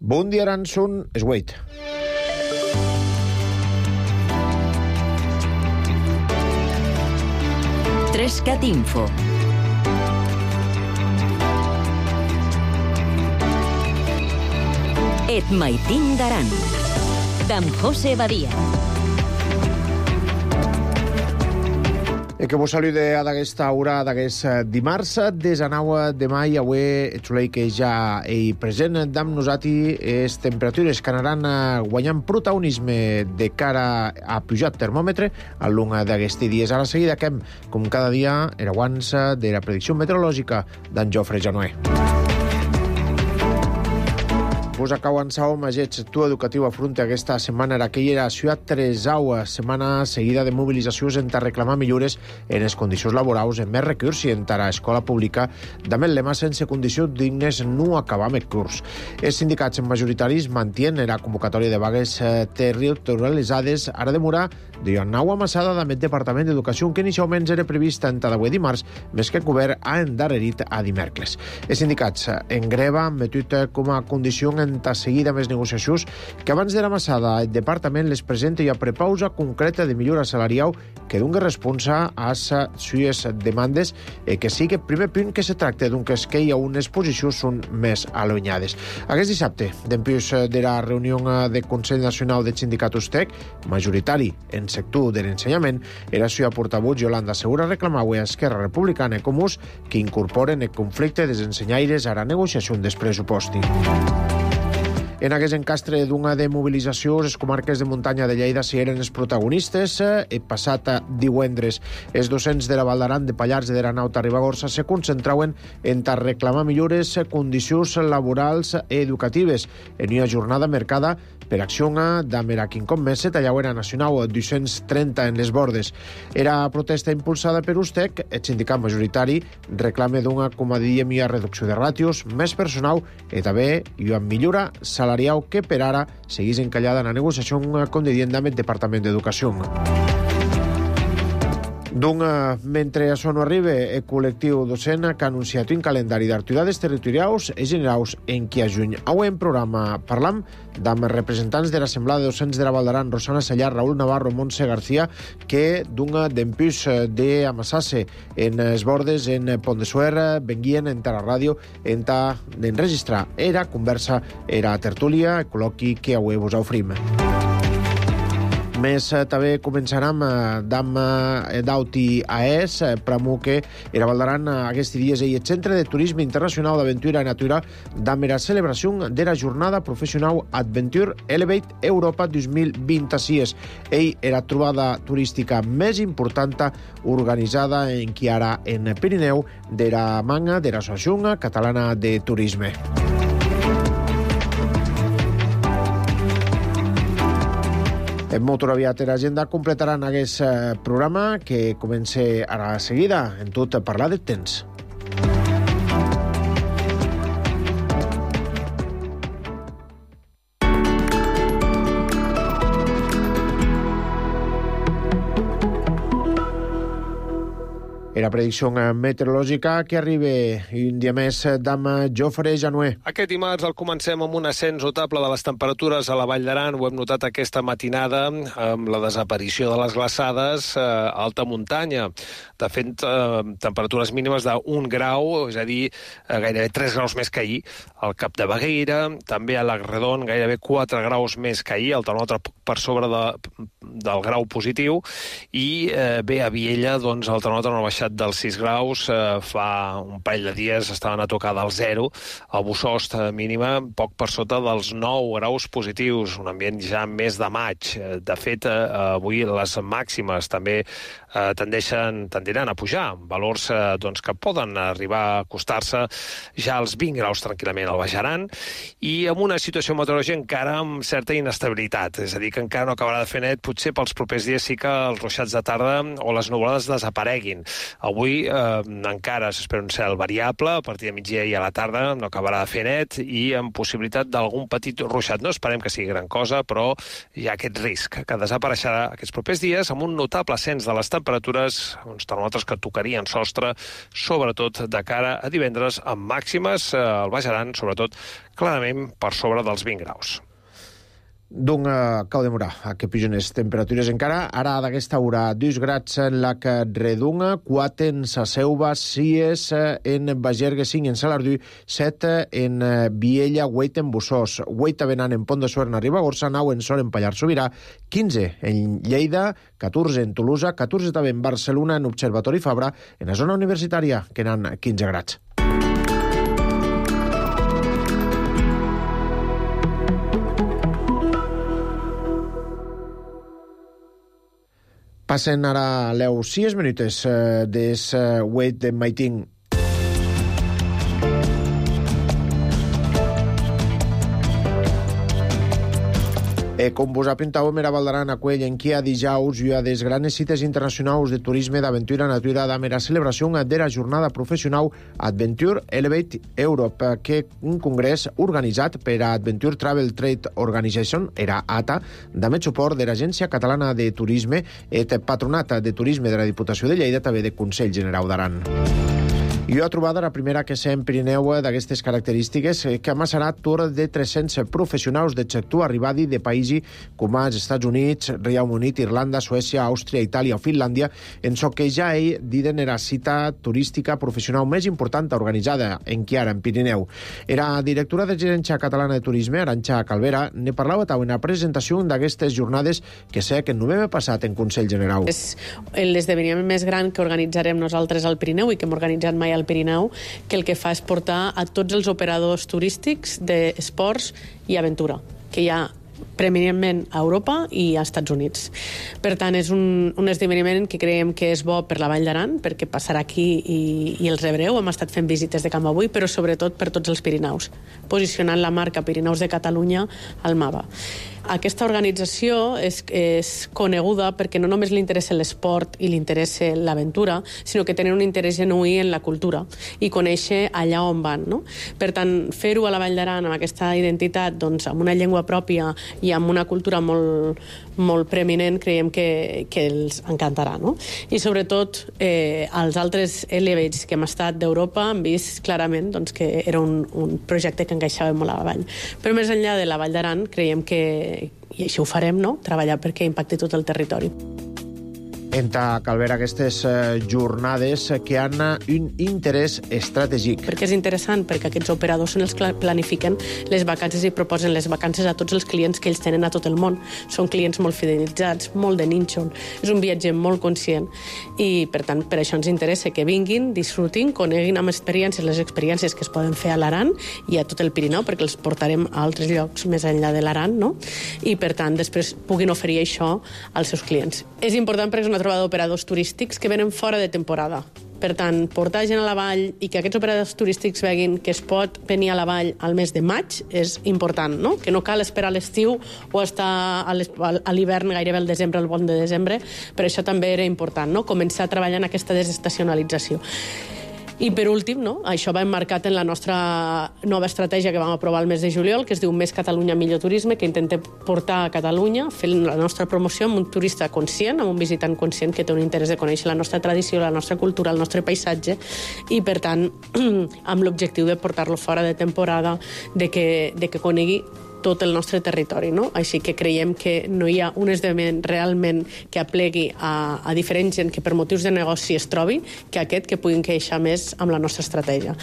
Bon dia, Aranson, Esgueit. Trescat Info. Et maitin d'Aran, d'en José Badia. Que vos salude a d'aquesta hora, d'aquest dimarts, des a 9 de mai, avui el solei que ja hi present d'amb nosati, les temperatures que anaran guanyant protagonisme de cara a pujar termòmetre al long d'aquests dies. A la seguida, que com cada dia, era abans de la predicció meteorològica d'en Jofre Janoé. Vos acau avançau magets tu educatiu afronta aquesta setmana era aquella ciutat Tresau, setmana seguida de mobilitzacions per reclamar millores en les condicions laborals, en més recurs i en la escola pública, també el lema sense condicions dignes no acabam el curs. Els sindicats majoritaris mantien la convocatòria de vagues territorialitzades, ara demorar de nau amassada amb el Departament d'Educació, que inicialment era prevista en d'avui dimarts, més que el govern ha endarrerit a dimecres. Els sindicats en greva han metut com a condició en seguida més negociacions que abans de la massada el departament les presenta i a prepausa concreta de millora salarial que doni responsa a les seues demandes que sigui el primer punt que se tracta d'un que hi ha unes posicions són més allunyades. Aquest dissabte, d'empús de la reunió del Consell Nacional del Sindicat USTEC, majoritari en sector de l'ensenyament, era la portaveu Yolanda Segura reclamava a Esquerra Republicana i Comuns que incorporen el conflicte dels ensenyaires a la negociació dels pressupostos. En aquest encastre d'una de mobilització, les comarques de muntanya de Lleida si eren els protagonistes. El passat divendres, els docents de la Val d'Aran, de Pallars i de Ranauta Ribagorça se concentraven en reclamar millores condicions laborals i educatives en una jornada marcada per acció d'Amera Quincom més se tallaven a Nacional 230 en les bordes. Era protesta impulsada per USTEC, el sindicat majoritari reclama d'una, com a diem, reducció de ràtios, més personal i també una millora salarial que per ara seguís encallada en la negociació com dient amb el Departament d'Educació. Mentre això no arriba, el col·lectiu docent que ha anunciat un calendari d'activitats territorials i generals en qui a juny. Avui en programa parlam amb representants de l'Assemblea de Docents de la Val d'Aran, Rosana Sallar, Raúl Navarro, Montse García, que d'empús d'amassar-se en els bordes en Pont de Suert, venguien en la ràdio d'enregistrar era conversa, era tertúlia, el col·loqui que avui vos ofrim. Més també començarem d'Auti AES, pramo que era Val d'Aran aquests dies i el Centre de Turisme Internacional d'Aventura i Natura amb la celebració de la jornada professional Adventure Elevate Europa 2026. Ell era trobada turística més important organitzada en qui ara en Pirineu de la manga de l'Associació Catalana de Turisme. En molt aviat l'agenda completaran aquest programa que comença ara a seguida, en tot parlar del temps. La predicció meteorològica que arriba un dia més d'amb Jofre Janoé. Aquest dimarts el comencem amb un ascens notable de les temperatures a la Vall d'Aran. Ho hem notat aquesta matinada amb la desaparició de les glaçades a alta muntanya. De fet, temperatures mínimes d'1 grau, és a dir, gairebé 3 graus més que ahir. Al Cap de Bagueira, també a l'Agredon, gairebé 4 graus més que ahir, el termòmetre per sobre del grau positiu. I bé, a Viella, doncs, el termòmetre no ha baixat dels 6 graus, fa un parell de dies estaven a tocar del 0, a Bussost mínima poc per sota dels 9 graus positius, un ambient ja més de maig. De fet, avui les màximes també tendiran a pujar, valors doncs, que poden arribar a acostar-se ja als 20 graus tranquil·lament al Baix Aran, i amb una situació meteorològica encara amb certa inestabilitat, és a dir, que encara no acabarà de fer net, potser pels propers dies sí que els ruixats de tarda o les nuvolades desapareguin. Avui encara s'espera un cel variable, a partir de migdia i a la tarda no acabarà de fer net i amb possibilitat d'algun petit ruixat. No esperem que sigui gran cosa, però hi ha aquest risc que desapareixerà aquests propers dies amb un notable ascens de les temperatures, uns termòmetres que tocarien sostre, sobretot de cara a divendres, amb màximes al Baix Aran, sobretot clarament per sobre dels 20 graus. Donc, cau de morar, que pugen les temperatures encara. Ara, d'aquesta hora, 2 grads en la que redunga, 4 en sa Seuva, 6 en Bagergue, 5 en Salardú, 7 en Viella, 8 en Bussós, 8 a Benan en Pont de Suert, a Ribagorça, 9 en Sort en Pallars Sobirà, 15 en Lleida, 14 en Tolosa, 14 també en Barcelona, en Observatori Fabra, en la zona universitària, que n'han 15 grads. Passen ara les 6 minutes des 8 de maiting. Com vos apuntàvem, era Valdaran aquell en qui a dijous hi ha des granes cites internacionals de turisme d'aventura natura d'amera celebració de la jornada professional Adventure Elevate Europe, que un congrés organitzat per a Adventure Travel Trade Organization, era ATA, amb suport de l'Agència Catalana de Turisme i el Patronat de Turisme de la Diputació de Lleida, també de Consell General d'Aran. I ha trobat la primera que s'ha en Pirineu d'aquestes característiques, que amassarà tour de 300 professionals de sector arribadi de països com els Estats Units, Regne Unit, Irlanda, Suècia, Àustria, Itàlia o Finlàndia, en so que ja diden era cita turística professional més important organitzada en Chiara, en Pirineu. Era directora de Gerència Catalana de Turisme, Arantxa Calvera, ne parlava en la presentació d'aquestes jornades que sé que el novembre passat en Consell General. És l'esdeveniment més gran que organitzarem nosaltres al Pirineu i que hem organitzat mai al Pirineu, que el que fa és portar a tots els operadors turístics d'esports i aventura, que hi ha preeminentment a Europa i als Estats Units. Per tant, és un esdeveniment que creiem que és bo per la Vall d'Aran, perquè passarà aquí i els rebreu. Hem estat fent visites de camp avui, però sobretot per tots els Pirineus, posicionant la marca Pirineus de Catalunya al mapa. Aquesta organització és coneguda perquè no només li interessa l'esport i li interessa l'aventura, sinó que tenen un interès genuí en la cultura i conèixer allà on van. No? Per tant, fer-ho a la Vall d'Aran amb aquesta identitat, doncs, amb una llengua pròpia i amb una cultura molt, molt preeminent, creiem que els encantarà. No? I sobretot, els altres Elevates que hem estat d'Europa han vist clarament doncs, que era un projecte que encaixava molt a la Vall. Però més enllà de la Vall d'Aran, creiem que i això ho farem, no? Treballar perquè impacti tot el territori. Enta Calvera, aquestes jornades que han un interès estratègic. Perquè és interessant, perquè aquests operadors són els que planifiquen les vacances i proposen les vacances a tots els clients que ells tenen a tot el món. Són clients molt fidelitzats, molt de nínxol. És un viatge molt conscient i, per tant, per això ens interessa que vinguin, disfrutin, coneguin amb experiències les experiències que es poden fer a l'Aran i a tot el Pirineu, perquè els portarem a altres llocs més enllà de l'Aran, no? I, per tant, després puguin oferir això als seus clients. És important perquè és una trobada d'operadors turístics que venen fora de temporada. Per tant, portar gent a la vall i que aquests operadors turístics veguin que es pot venir a la vall al mes de maig és important, no? Que no cal esperar l'estiu o estar a l'hivern gairebé al desembre, al bon de desembre. Per això també era important, no? Començar a treballar en aquesta desestacionalització. I per últim, no? Això va emmarcat en la nostra nova estratègia que vam aprovar el mes de juliol, que es diu Més Catalunya, Millor Turisme, que intentem portar a Catalunya, fent la nostra promoció amb un turista conscient, amb un visitant conscient que té un interès de conèixer la nostra tradició, la nostra cultura, el nostre paisatge, i per tant, amb l'objectiu de portar-lo fora de temporada, de que conegui tot el nostre territori, no? Així que creiem que no hi ha un esdeveniment realment que aplegui a diferent gent que per motius de negoci es trobi que aquest que puguin queixar més amb la nostra estratègia.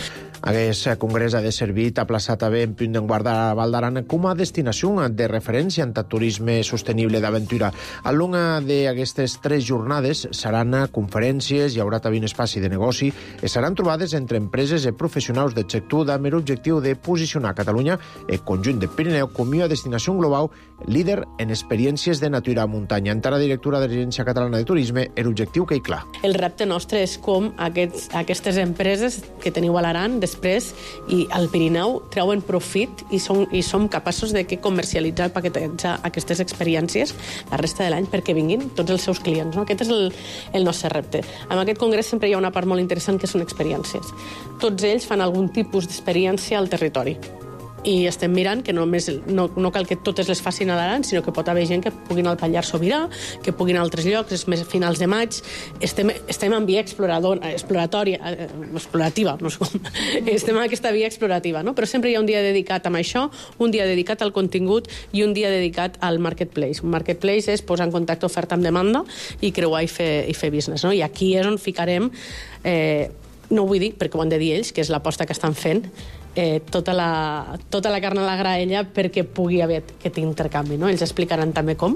Aquest congrés ha de servir a plaçar també en punt d'enguardar a Val d'Aran com a destinació de referència en turisme sostenible d'aventura. Al long d'aquestes 3 jornades seran conferències, hi haurà també un espaci de negoci i seran trobades entre empreses i professionals del sector amb l'objectiu de posicionar Catalunya, el conjunt de Pirineu, com a destinació global líder en experiències de natura a muntanya. Encara directora de l'Agència Catalana de Turisme, l'objectiu que hi clar. El repte nostre és com aquestes empreses que teniu a l'Aran després i al Pirineu treuen profit i som capaços de comercialitzar, paquetejar aquestes experiències la resta de l'any perquè vinguin tots els seus clients. No? Aquest és el nostre repte. En aquest congrés sempre hi ha una part molt interessant que són experiències. Tots ells fan algun tipus d'experiència al territori. I estem mirant que no cal que totes les facin a l'Aran, sinó que pot haver gent que puguin al Pallars Sobirà, que puguin a altres llocs, és més a finals de maig. Estem en via explorativa, no sé com. Estem en aquesta via explorativa, no? Però sempre hi ha un dia dedicat a això, un dia dedicat al contingut i un dia dedicat al marketplace. Un marketplace és posar en contacte oferta amb demanda i creuar i fer business, no? I aquí és on ficarem, no ho vull dir perquè ho han de dir ells, que és l'aposta que estan fent, tota la carn a la graella perquè pugui haver aquest intercanvi, no? Ells explicaran també com,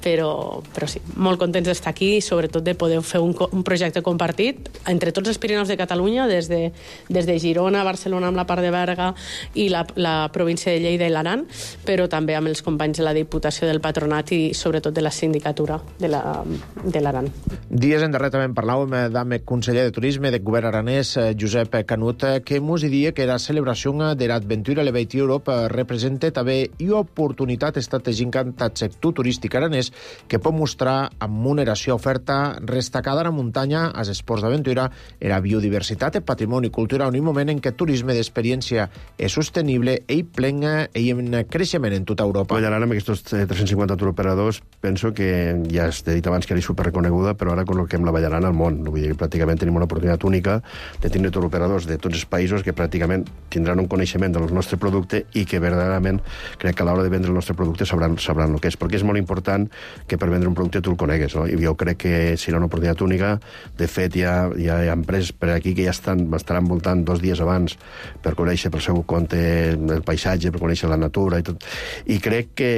però sí, molt contents d'estar aquí i sobretot de poder fer un projecte compartit entre tots els Pirineus de Catalunya, des de Girona, Barcelona amb la part de Berga i la província de Lleida i l'Aran, però també amb els companys de la Diputació del Patronat i sobretot de la sindicatura de l'Aran. Dies endarrere també parlàvem amb el conseller de Turisme del govern aranès, Josep Canut, que mos diria que la celebració d'Adventure Elevate Europe representa també una oportunitat estratègica en el sector turístic aranès que pot mostrar amb moderació oferta destacada a la muntanya, als esports d'aventura, a la biodiversitat, el patrimoni cultural, en un moment en què el turisme d'experiència és sostenible i plen i en creixement en tota Europa. Ara amb aquests 350 turoperadors penso que ja t'he dit abans que era superreconeguda, però ara col·loquem la Vallarana al món. Vull dir que pràcticament tenim una oportunitat única de tenir turoperadors de tots els països que pràcticament tindran un coneixement del nostre producte i que verdaderament crec que a l'hora de vendre el nostre producte sabran el que és, perquè és molt important que per vendre un producte tu el conegues, no? I jo crec que serà una oportunitat única. De fet, hi ha empreses per aquí que ja estaran voltant 2 dies abans per conèixer pel seu compte el paisatge, per conèixer la natura i tot. I crec que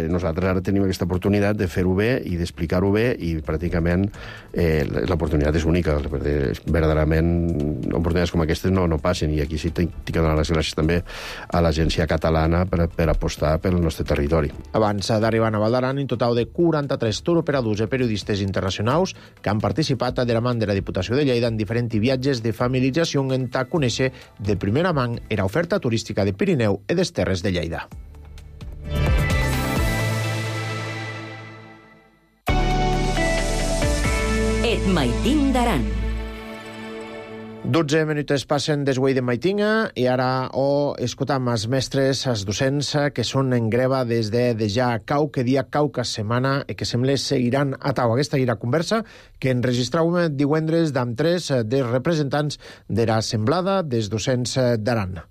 nosaltres ara tenim aquesta oportunitat de fer-ho bé i d'explicar-ho bé i pràcticament l'oportunitat és única. Verdaderament, oportunitats com aquestes no passen i aquí sí tinc que donar les gràcies també a l'agència catalana per apostar pel nostre territori. Abans d'arribar a Valdaran, en total de 43 turoperadors i periodistes internacionals que han participat de la mà de la Diputació de Lleida en diferents viatges de familiarització en ta conèixer de primera mà era oferta turística de Pirineu i des Terres de Lleida. Et maitim d'Aran. 12 minuts passen des de Maitinga i ara escoltam els mestres, els docents que són en greva des de ja qualque dia, qualque setmana i que sembla seguiran a tau aquesta conversa que enregistràvem divendres amb 3 dels representants de l'Assemblada dels Docents d'Aran.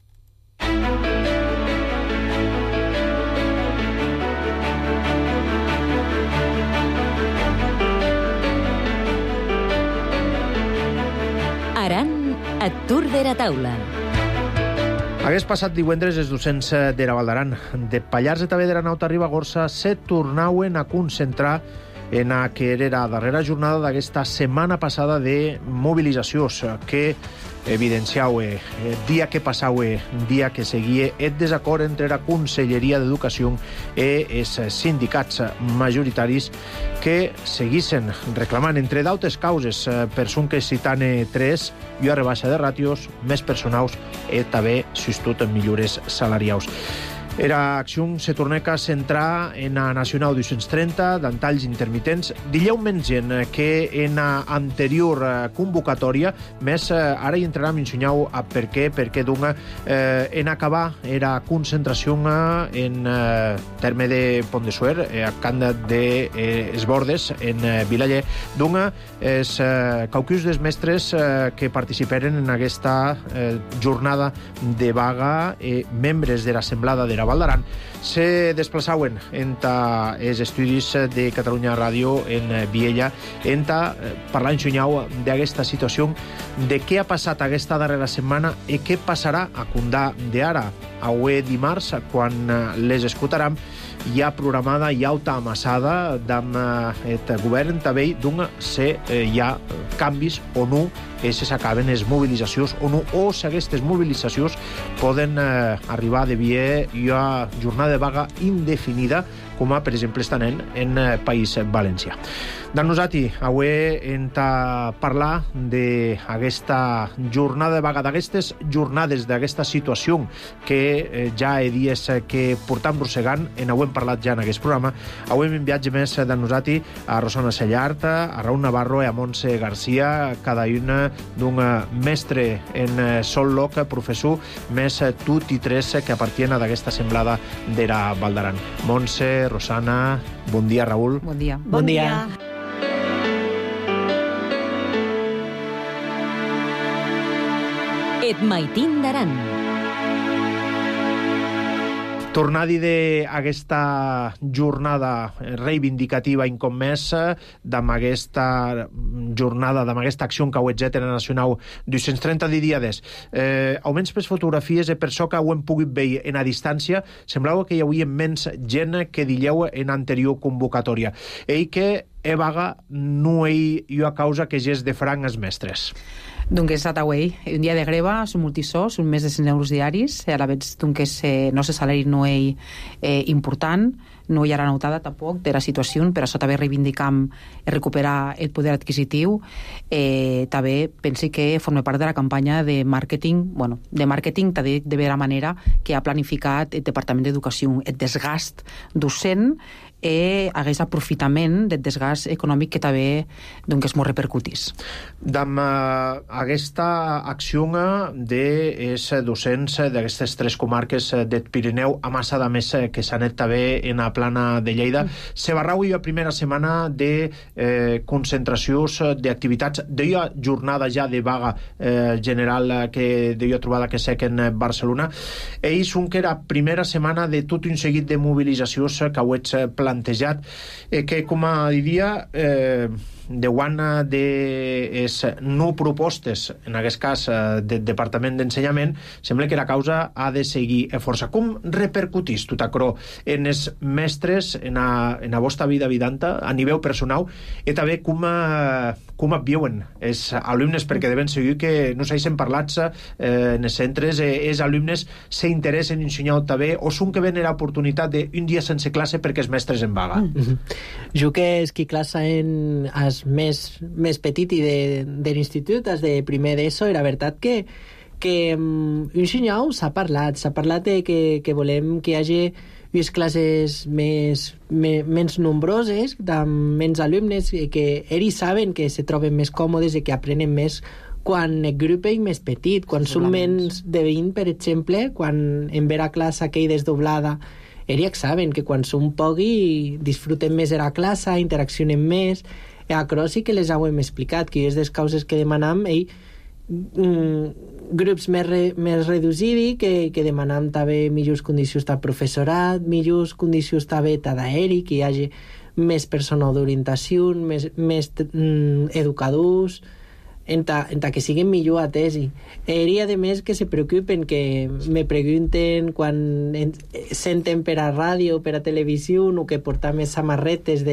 Aran a Tour de la Taula. Hagués passat divendres els docents de la Val d'Aran. De Pallars de també de la Nauta Ribagorça se tornaven a concentrar en la que era la darrera jornada d'aquesta setmana passada de mobilitzacions que evidenciava dia que passava, dia que seguia el desacord entre la Conselleria d'Educació i els sindicats majoritaris que seguissin reclamant, entre d'altres causes, per són que citant 3, i a rebaixa de ràtios, més personals i també substitut en millores salarials. Era acció se torna a centrar en la Nacional 230, d'antalls intermitents, dileument gent que en l'anterior convocatòria, més ara hi entrarà a mencionar per què, perquè en acabar era concentració en terme de Pont de Suert, a Can de Esbordes, en Vilaller, els caucus dels mestres que participaren en aquesta jornada de vaga, membres de l'Assemblada de la Val d'Aran, se desplaçaven entre els estudis de Catalunya Ràdio en Viella, parlant d'aquesta situació, de què ha passat aquesta darrera setmana i què passarà a Condà d'ara. Avui dimarts, quan les escoltarem, hi ha programada i alta amassada amb el govern també si hi ha canvis o no si s'acaben les mobilitzacions o no, o si aquestes mobilitzacions poden arribar de via a jornada de vaga indefinida, com per exemple estan en País Valencià. Dan nosati, avui hem de parlar d'aquesta jornada de vaga, d'aquestes jornades, d'aquesta situació que ja he dies que portam rossegant, avui hem parlat ja en aquest programa. Avui hem enviat més de nosati a Rosana Sellart, a Raúl Navarro i a Montse Garcia, cada una d'un mestre en sol loc, professor, més tot i tres que apartien a d'aquesta semblada d'era Val d'Aran. Montse, Rosana, bon dia, Raúl. Bon dia. Bon dia. Et maitin d'Aran. Tornar a dir d'aquesta jornada reivindicativa incomesa, d'aquesta jornada, d'aquesta acció que heu fet en la Nacional 230 dies. Almenys per fotografies i per això que ho hem pogut veure en a distància, semblava que hi havia menys gent que dieu en anterior convocatòria. I que vaga no hi ha causa que és de franc els mestres. Donc és atauei, un dia de greva, són multisós, són més de 100 euros diaris, a la vegada que no se salari no és important, no hi ha notada tampoc de la situació, per això també reivindicam recuperar el poder adquisitiu. També pensi que forma part de la campanya de màrqueting, també de la manera que ha planificat el Departament d'Educació, el desgast docent hagués aprofitament del desgast econòmic que també és molt repercutís. Amb aquesta acció dels docents d'aquestes tres comarques del Pirineu, a massa de més que s'han anat també en la plana de Lleida, se va reunir la primera setmana de concentracions d'activitats, d'una jornada ja de vaga general que d'una trobada que sec en Barcelona. Ells són que era primera setmana de tot un seguit de mobilitzacions que ho ets plantejat, que com a diria deuen de no propostes, en aquest cas del Departament d'Ensenyament, sembla que la causa ha de seguir força. Com repercutís tot això en els mestres, en la vostra vida vidanta, a nivell personal, i també com et viuen els alumnes, perquè devem seguir que no s'hagin parlat en els centres, els alumnes s'interessen en ensenyar també, o són que ven l'oportunitat d'un dia sense classe perquè els mestres en vaga. Jo que és qui classa en els més petit i de l'institut, els de primer d'ESO, era veritat que un senyal s'ha parlat de que volem que hi hagi unes classes menys nombroses, amb menys alumnes, que ells saben que se troben més còmodes i que aprenen més quan el grup és més petit, quan són menys de 20, per exemple, quan en vera classe aquell desdoblada, ells saben que quan són pocs disfruten més de la classe, interaccionen més. A Cross sí que les hem explicat, que és des causes que demanam grups més reduïts, que demanam també millors condicions de professorat, millors condicions també d'aeri, que hi hagi més personal d'orientació, més educadors, en que siguin millor atesi. I a més que se preocupen, que me pregunten quan senten per a ràdio, per a televisió, o que portar més samarretes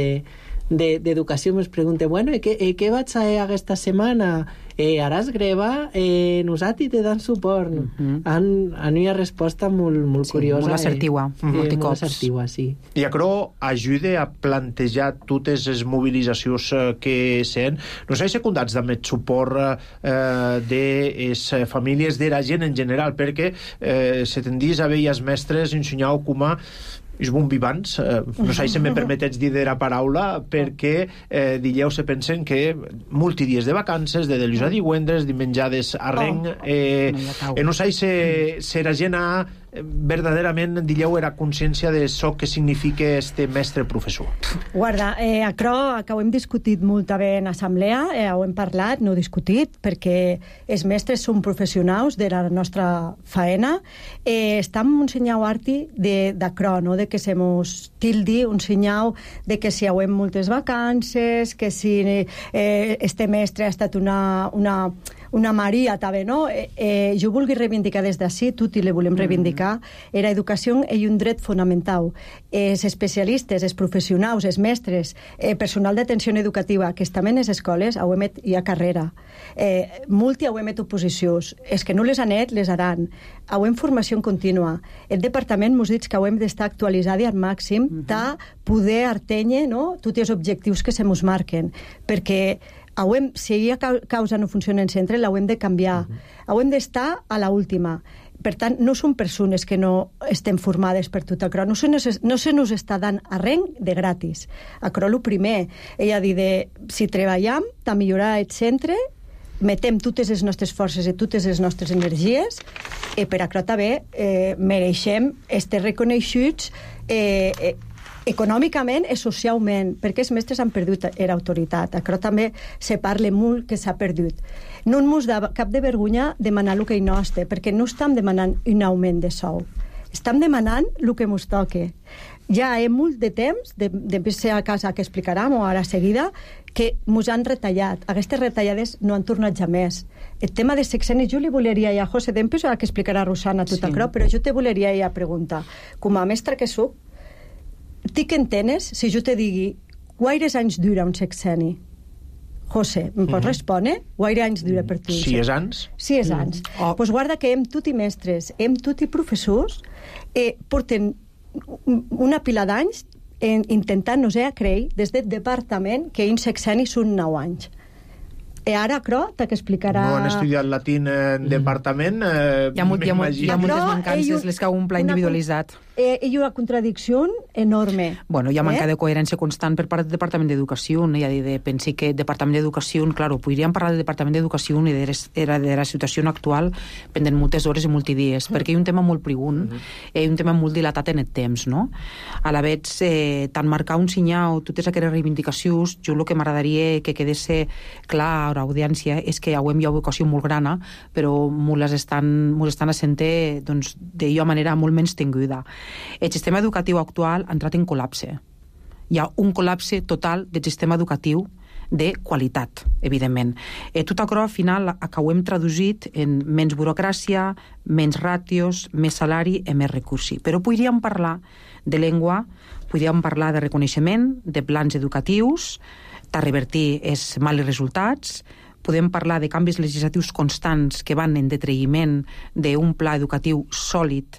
d'educació, me pregunten, bueno, què vaig a aquesta setmana? Haràs greva? Nosaltres te dan suport. Han una resposta molt curiosa. Molt assertiva, molt assertiva, sí. I això ajuda a plantejar totes les mobilitzacions que sent. No s'ha secundats amb el suport de les famílies, de la gent en general, perquè se tendís a veure els mestres ensenyar com a és bon vivants, no sé si me permetets dir de la paraula, perquè dieu se pensen que multidies de vacances, de dilluns a divendres, dimenjades a reng, no sé si la gent ha verdaderament, dieu, era consciència de això que significa este mestre professor. Guarda, això que ho hem discutit molt també en assemblea, ho hem parlat, no discutit, perquè els mestres són professionals de la nostra faena. Estem un senyal arti d'això, no? De que se mos tildi un senyal de que si hi ha moltes vacances, que si este mestre ha estat una una Maria també, no? Jo vulgui reivindicar des d'ací, tutti le volem reivindicar, era educació és un dret fonamental. Els especialistes, els professionals, els mestres, personal d'atenció educativa, que estan en les escoles, hi ha carrera. Multi hem oposicions. És que no les han les haran. Hem formació contínua. El departament mos diu que hem d'estar actualitzats al màxim de poder artenye, no, tots els objectius que se mos marquen. Perquè si hi ha causa no funciona en centre, l'hem de canviar. Hem d'estar a l'última. Per tant, no són persones que no estem formades per tot això. No se nos està dant arrenc de gratis. Això el primer. Ella dit, si treballem, de millorar el centre, metem totes les nostres forces i totes les nostres energies, i per això també mereixem estar reconeguts econòmicament i socialment, perquè els mestres han perdut l'autoritat. Això també se parla molt que s'ha perdut. No ens da cap de vergonya demanar el que hi nostre, perquè no estem demanant un augment de sou. Estem demanant el que ens toca. Ja hi ha molt de temps, després ser a casa que explicarem, o ara seguida, que ens han retallat. Aquestes retallades no han tornat ja més. El tema de sexenis, jo li voleria a José Dempes, que explicarà Rosana tot això, però jo te voleria a preguntar, com a mestra que soc, tu què entenes si jo te digui quaires anys dura un sexeni? José, em pots respondre? Quaires anys dura per tu? 6 anys. 6 anys. Doncs guarda que hem tot i mestres, hem tot i professors, porten una pila d'anys intentant, no sé, creure des del departament que un sexeni són 9 anys. I ara, però, t'ha que explicarà... No han estudiat latín en departament, hi ha moltes mancances, les que ha un pla individualitzat. Hi ha una contradicció enorme. Bueno, hi ha manca de coherència constant per part del Departament d'Educació. Pensi que el Departament d'Educació, claro, podríem parlar del Departament d'Educació i de la situació actual pendent moltes hores i multidies, perquè hi ha un tema molt prigun, hi ha un tema molt dilatat en el temps, no? A la vegada, tant marcar un senyal, totes aquestes reivindicacions, jo el que m'agradaria que quedés clar a l'audiència és que hi ha vocació molt grana, però mos estan assentant d'una manera molt menys tinguda. El sistema educatiu actual ha entrat en col·lapse. Hi ha un col·lapse total del sistema educatiu de qualitat, evidentment. Tot això, al final, ho hem traduït en menys burocràcia, menys ràtios, més salari i més recursos. Però podríem parlar de llengua, podríem parlar de reconeixement, de plans educatius, de revertir els mals resultats, podem parlar de canvis legislatius constants que van en detraïment d'un pla educatiu sòlid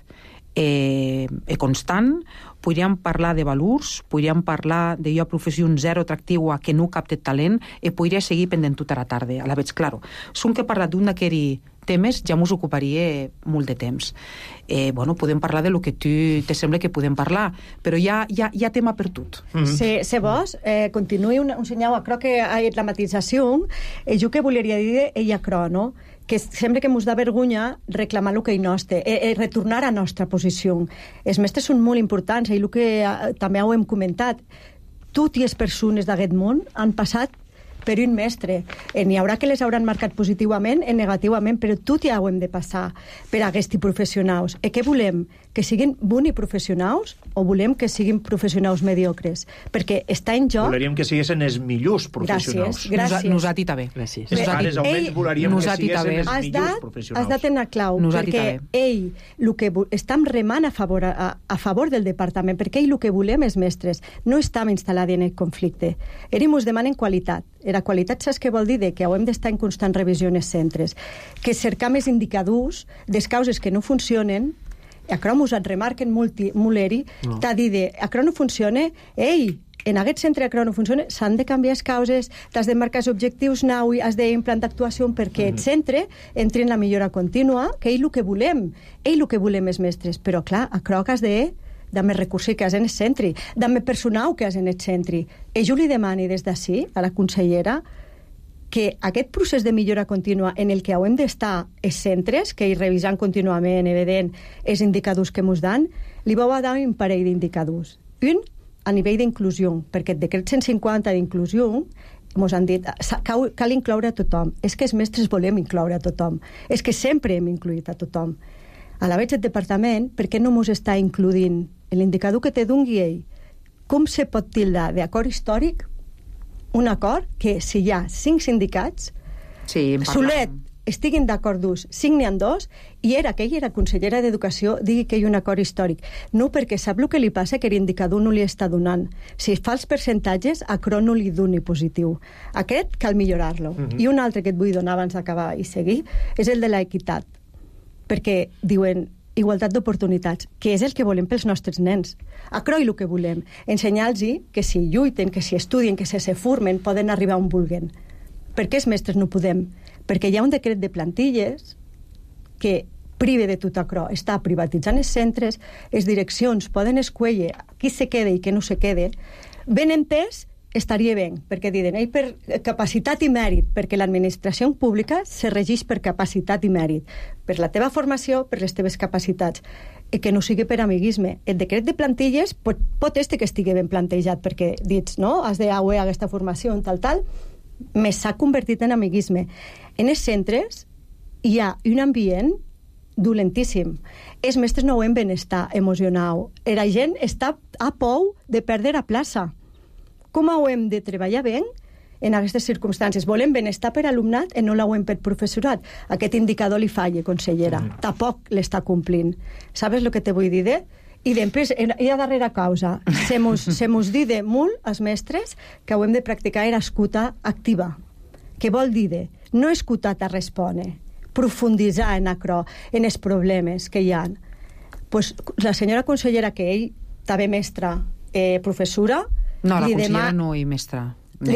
i constant, podríem parlar de valors, podríem parlar d'una professió zero atractiva que no capta talent i podria seguir pendent tota la tarda. A la vegada, claro, som que he parlat d'un d'aquests temes ja m'ho ocuparia molt de temps. Podem parlar de lo que tu te sembla que podem parlar, però hi ha tema per tot. Se vos, continuï un senyal, crec que la matització, jo que voleria dir ella crò, no? Que sembla que ens da vergonya reclamar el que hi nostre, retornar a nostra posició. Els mestres són molt importants, i el que també ho hem comentat, totes les persones d'aquest món han passat per un mestre. N'hi haurà que les hauran marcat positivament i negativament, però tot ja ho hem de passar per a aquests professionals. I què volem? Que siguin bons professionals o volem que siguin professionals mediocres? Perquè està en joc... Voleríem que siguessin els millors professionals. Gràcies. Nosaltres també. Gràcies. Pares, almenys voleríem que siguessin els millors professionals. Has de tenir clau, perquè el que estem remant a favor del departament, perquè el que volem és mestres. No estem instal·lats en el conflicte. Ens demanen qualitat. La qualitat saps què vol dir? Que hem d'estar en constant revisió en els centres. Que cercar més indicadors des causes que no funcionen, això ens remarquen molt t'ha dit, això no funciona, en aquest centre això no funciona, s'han de canviar les causes, t'has de marcar els objectius nous, has d'implantar actuació perquè el centre entri en la millora contínua, que és el que volem. El que volem els mestres. Però, clar, això que has de més recursos que has en el centre, de més personal que has en el centre. I jo li demani des d'ací, a la consellera, que aquest procés de millora contínua en el que hem d'estar els centres, que hi revisant contínuament, evident, els indicadors que ens dan, li vau a dar un parell d'indicadors. Un, a nivell d'inclusió, perquè el decret 150 d'inclusió ens han dit cal incloure a tothom. És que els mestres volem incloure a tothom. És que sempre hem incluït a tothom. A la vegada el departament, per què no ens està incluint l'indicador que te doni ell? Com se pot tildar d'acord històric un acord que si hi ha 5 sindicats, Solet estiguin d'acord d'ús, signen dos, i que ella era consellera d'Educació, digui que hi ha un acord històric. No, perquè sap el que li passa, que l'indicador no li està donant. Si fa els percentatges, a Cro no li doni positiu. Aquest cal millorar-lo. I un altre que et vull donar abans d'acabar i seguir és el de l'equitat. Perquè diuen igualtat d'oportunitats, que és el que volem pels nostres nens. A Cro el que volem, ensenyar-los que si lluiten, que si estudien, que si se formen, poden arribar on vulguen. Per què els mestres no podem? Perquè hi ha un decret de plantilles que prive de tot a Cro. Està privatitzant els centres, les direccions poden escollir qui se quede i qui no se quede. Ben entès, estaria bé, perquè diuen per capacitat i mèrit, perquè l'administració pública se regeix per capacitat i mèrit, per la teva formació, per les teves capacitats, i que no sigui per amiguisme. El decret de plantilles pot este que estigui ben plantejat, perquè dits, no?, has d'haver aquesta formació en tal, més s'ha convertit en amiguisme. En els centres hi ha un ambient dolentíssim. Els mestres no veuen benestar emocional. La gent està a pou de perdre la plaça. Com ho hem de treballar bé en aquestes circumstàncies? Volem benestar per alumnat i no l'hem per professorat. Aquest indicador li falla, consellera. Tampoc l'està complint. Sabes el que te vull dir? I després, hi ha darrera causa. Se mos dide molt, els mestres, que hem de practicar l'escuta activa. Què vol dir? No escutar a respondre, profunditzar en Cro, en els problemes que hi ha. Pues, la senyora consellera, que ell també mestra, professora... No, la consellera no hi mestra. No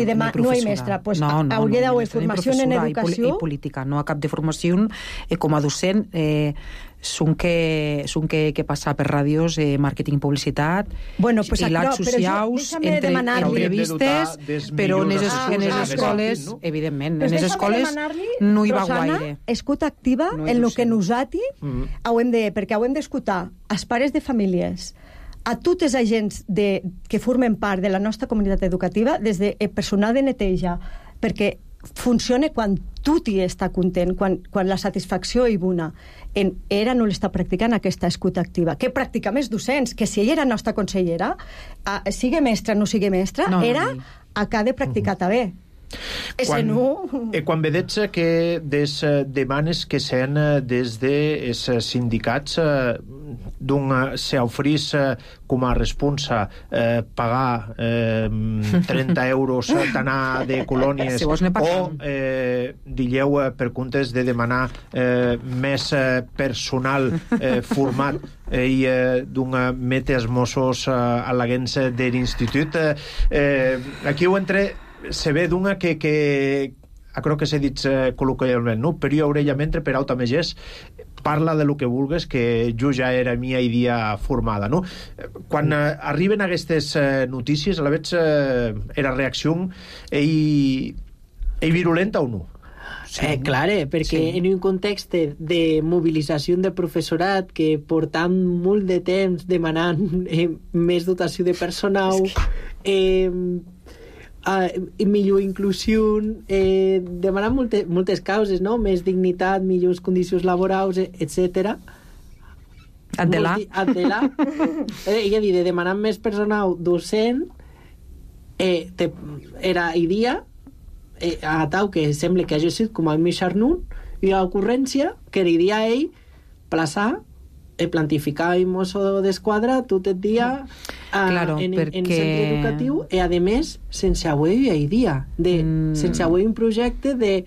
hi mestra. Pues, hauria d'haver formació en educació... I política. No a cap de formació com a docent... Són que passa per ràdios, màrqueting, publicitat, i lats socials, entrevistes, però en les escoles, evidentment, en les escoles no hi va gaire. Escuta activa en el que nosaltres perquè hem d'escutar els pares de famílies, a tots els agents que formen part de la nostra comunitat educativa, des del personal de neteja, perquè funciona quan tu t'hi està content, quan la satisfacció hi bona. Era no l'està practicant aquesta escuta activa. Què practicam els docents? Que si ella era nostra consellera, sigui mestra o no sigui mestra, ha de practicar també. Quan vedets que des demanes que sean des dels sindicats s'ofrís com a responsa pagar 30 euros d'anar de colònies o digueu per comptes de demanar més personal format i d'un mete els Mossos a l'agents de l'institut, aquí ho entre se ve d'una que crec que s'ha dit col·loquialment, no? Per jo orella mentre per auta megès parla de lo que vulgues, que jo ja era mia idea formada, no? Quan arriben aquestes notícies, a la vegada era reacció i virulenta o no? Sí, clar, perquè en un context de mobilització de professorat que portam molt de temps demanant més dotació de personal, millor inclusió, demanant moltes causes, no? Més dignitat, millors condicions laborals, etc. Adela. Ella dit, demanant més personal docent, era idea, a tau que sembla que hagi sigut com a Mixarnun, i l'ocurrència que era ell plaçar plantificar i mosso d'esquadra tot el dia en centre educatiu i a més sense haver idea sense haver un projecte de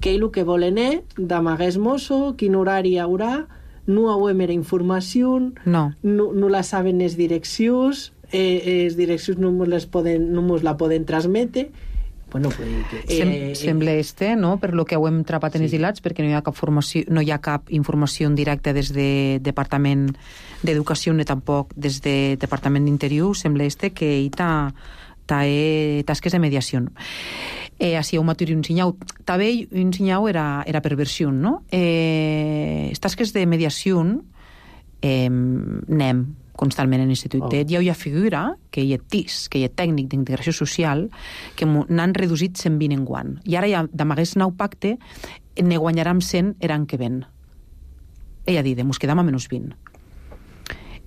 què el que volen d'amaguer mosso, quin horari hi haurà, no haver mera informació, no la saben les direccions, les direccions no mos la poden transmetre. Bueno, sembla no? Per lo que ho hem trapat en els hilats, perquè no hi ha cap formació, no hi ha cap informació directa des de Departament d'Educació ni tampoc des de Departament d'Interior. Sembla que hi ha tasques de mediació. Així ho maturi un sinyau. També un sinyau era perversió, no? Tasques de mediació anem constantment en l'institut. Hi ha una figura que hi ha TIS, que hi ha tècnic d'integració social, que n'han reduït 120 en guany. I ara ja d'amagués nou pacte ne guanyarem 100 l'any que ven. Ella dit, mos quedam a menys 20.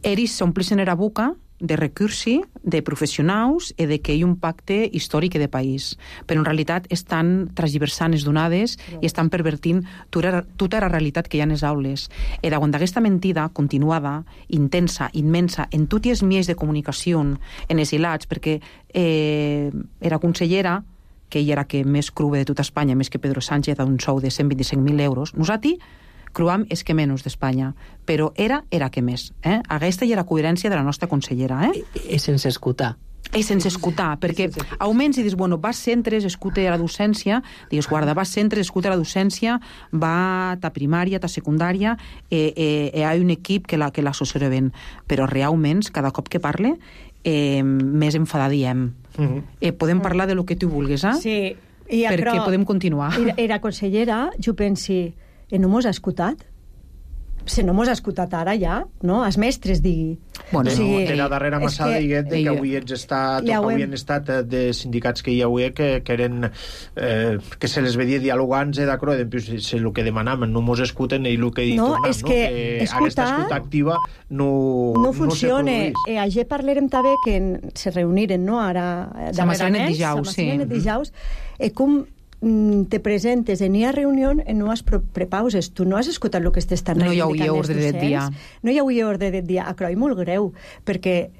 Eris s'omplixen era boca de recursi, de professionals i de que hi ha un pacte històric de país. Però en realitat estan transversant les donades i estan pervertint tota la realitat que hi ha en les aules. I davant d'aquesta mentida continuada, intensa, immensa, en tots els mitjans de comunicació, en els hilats, perquè era consellera, que ella era que més crua de tota Espanya, més que Pedro Sánchez, a un sou de 125.000 euros. Nosaltres cruam és que menys d'Espanya, però era que més. Aquesta ja era coherència de la nostra consellera. És sense escutar. És sense escutar, perquè augments i dius, bueno, vas centres, escute a la docència, digues, guarda, vas centres, escute a la docència, va ta primària, ta secundària, hi ha un equip que l'assessora ben. Però realment, cada cop que parle, més enfadada diem. Podem parlar de lo que tu vulguis, Sí. Perquè podem continuar. Era consellera, jo pensi, no mos ha escoltat? Si no mos ha escoltat ara ja, no? Els mestres digui. Bueno, de la darrera massada diguet que avui havien estat de sindicats que hi havia que eren que se les veia dialogants d'acro, el que demanaven no mos escuten i el que no, tornem, és que aquesta escuta activa no funciona. Ayer parlarem també que se reuniren, no? Ara darrerament, dijous, com te presentes en una reunió i no has prepauses. Tu no has escoltat el que estan reivindicant. No hi hauria ordre del dia. No hi hauria ordre del dia. A Croi molt greu, perquè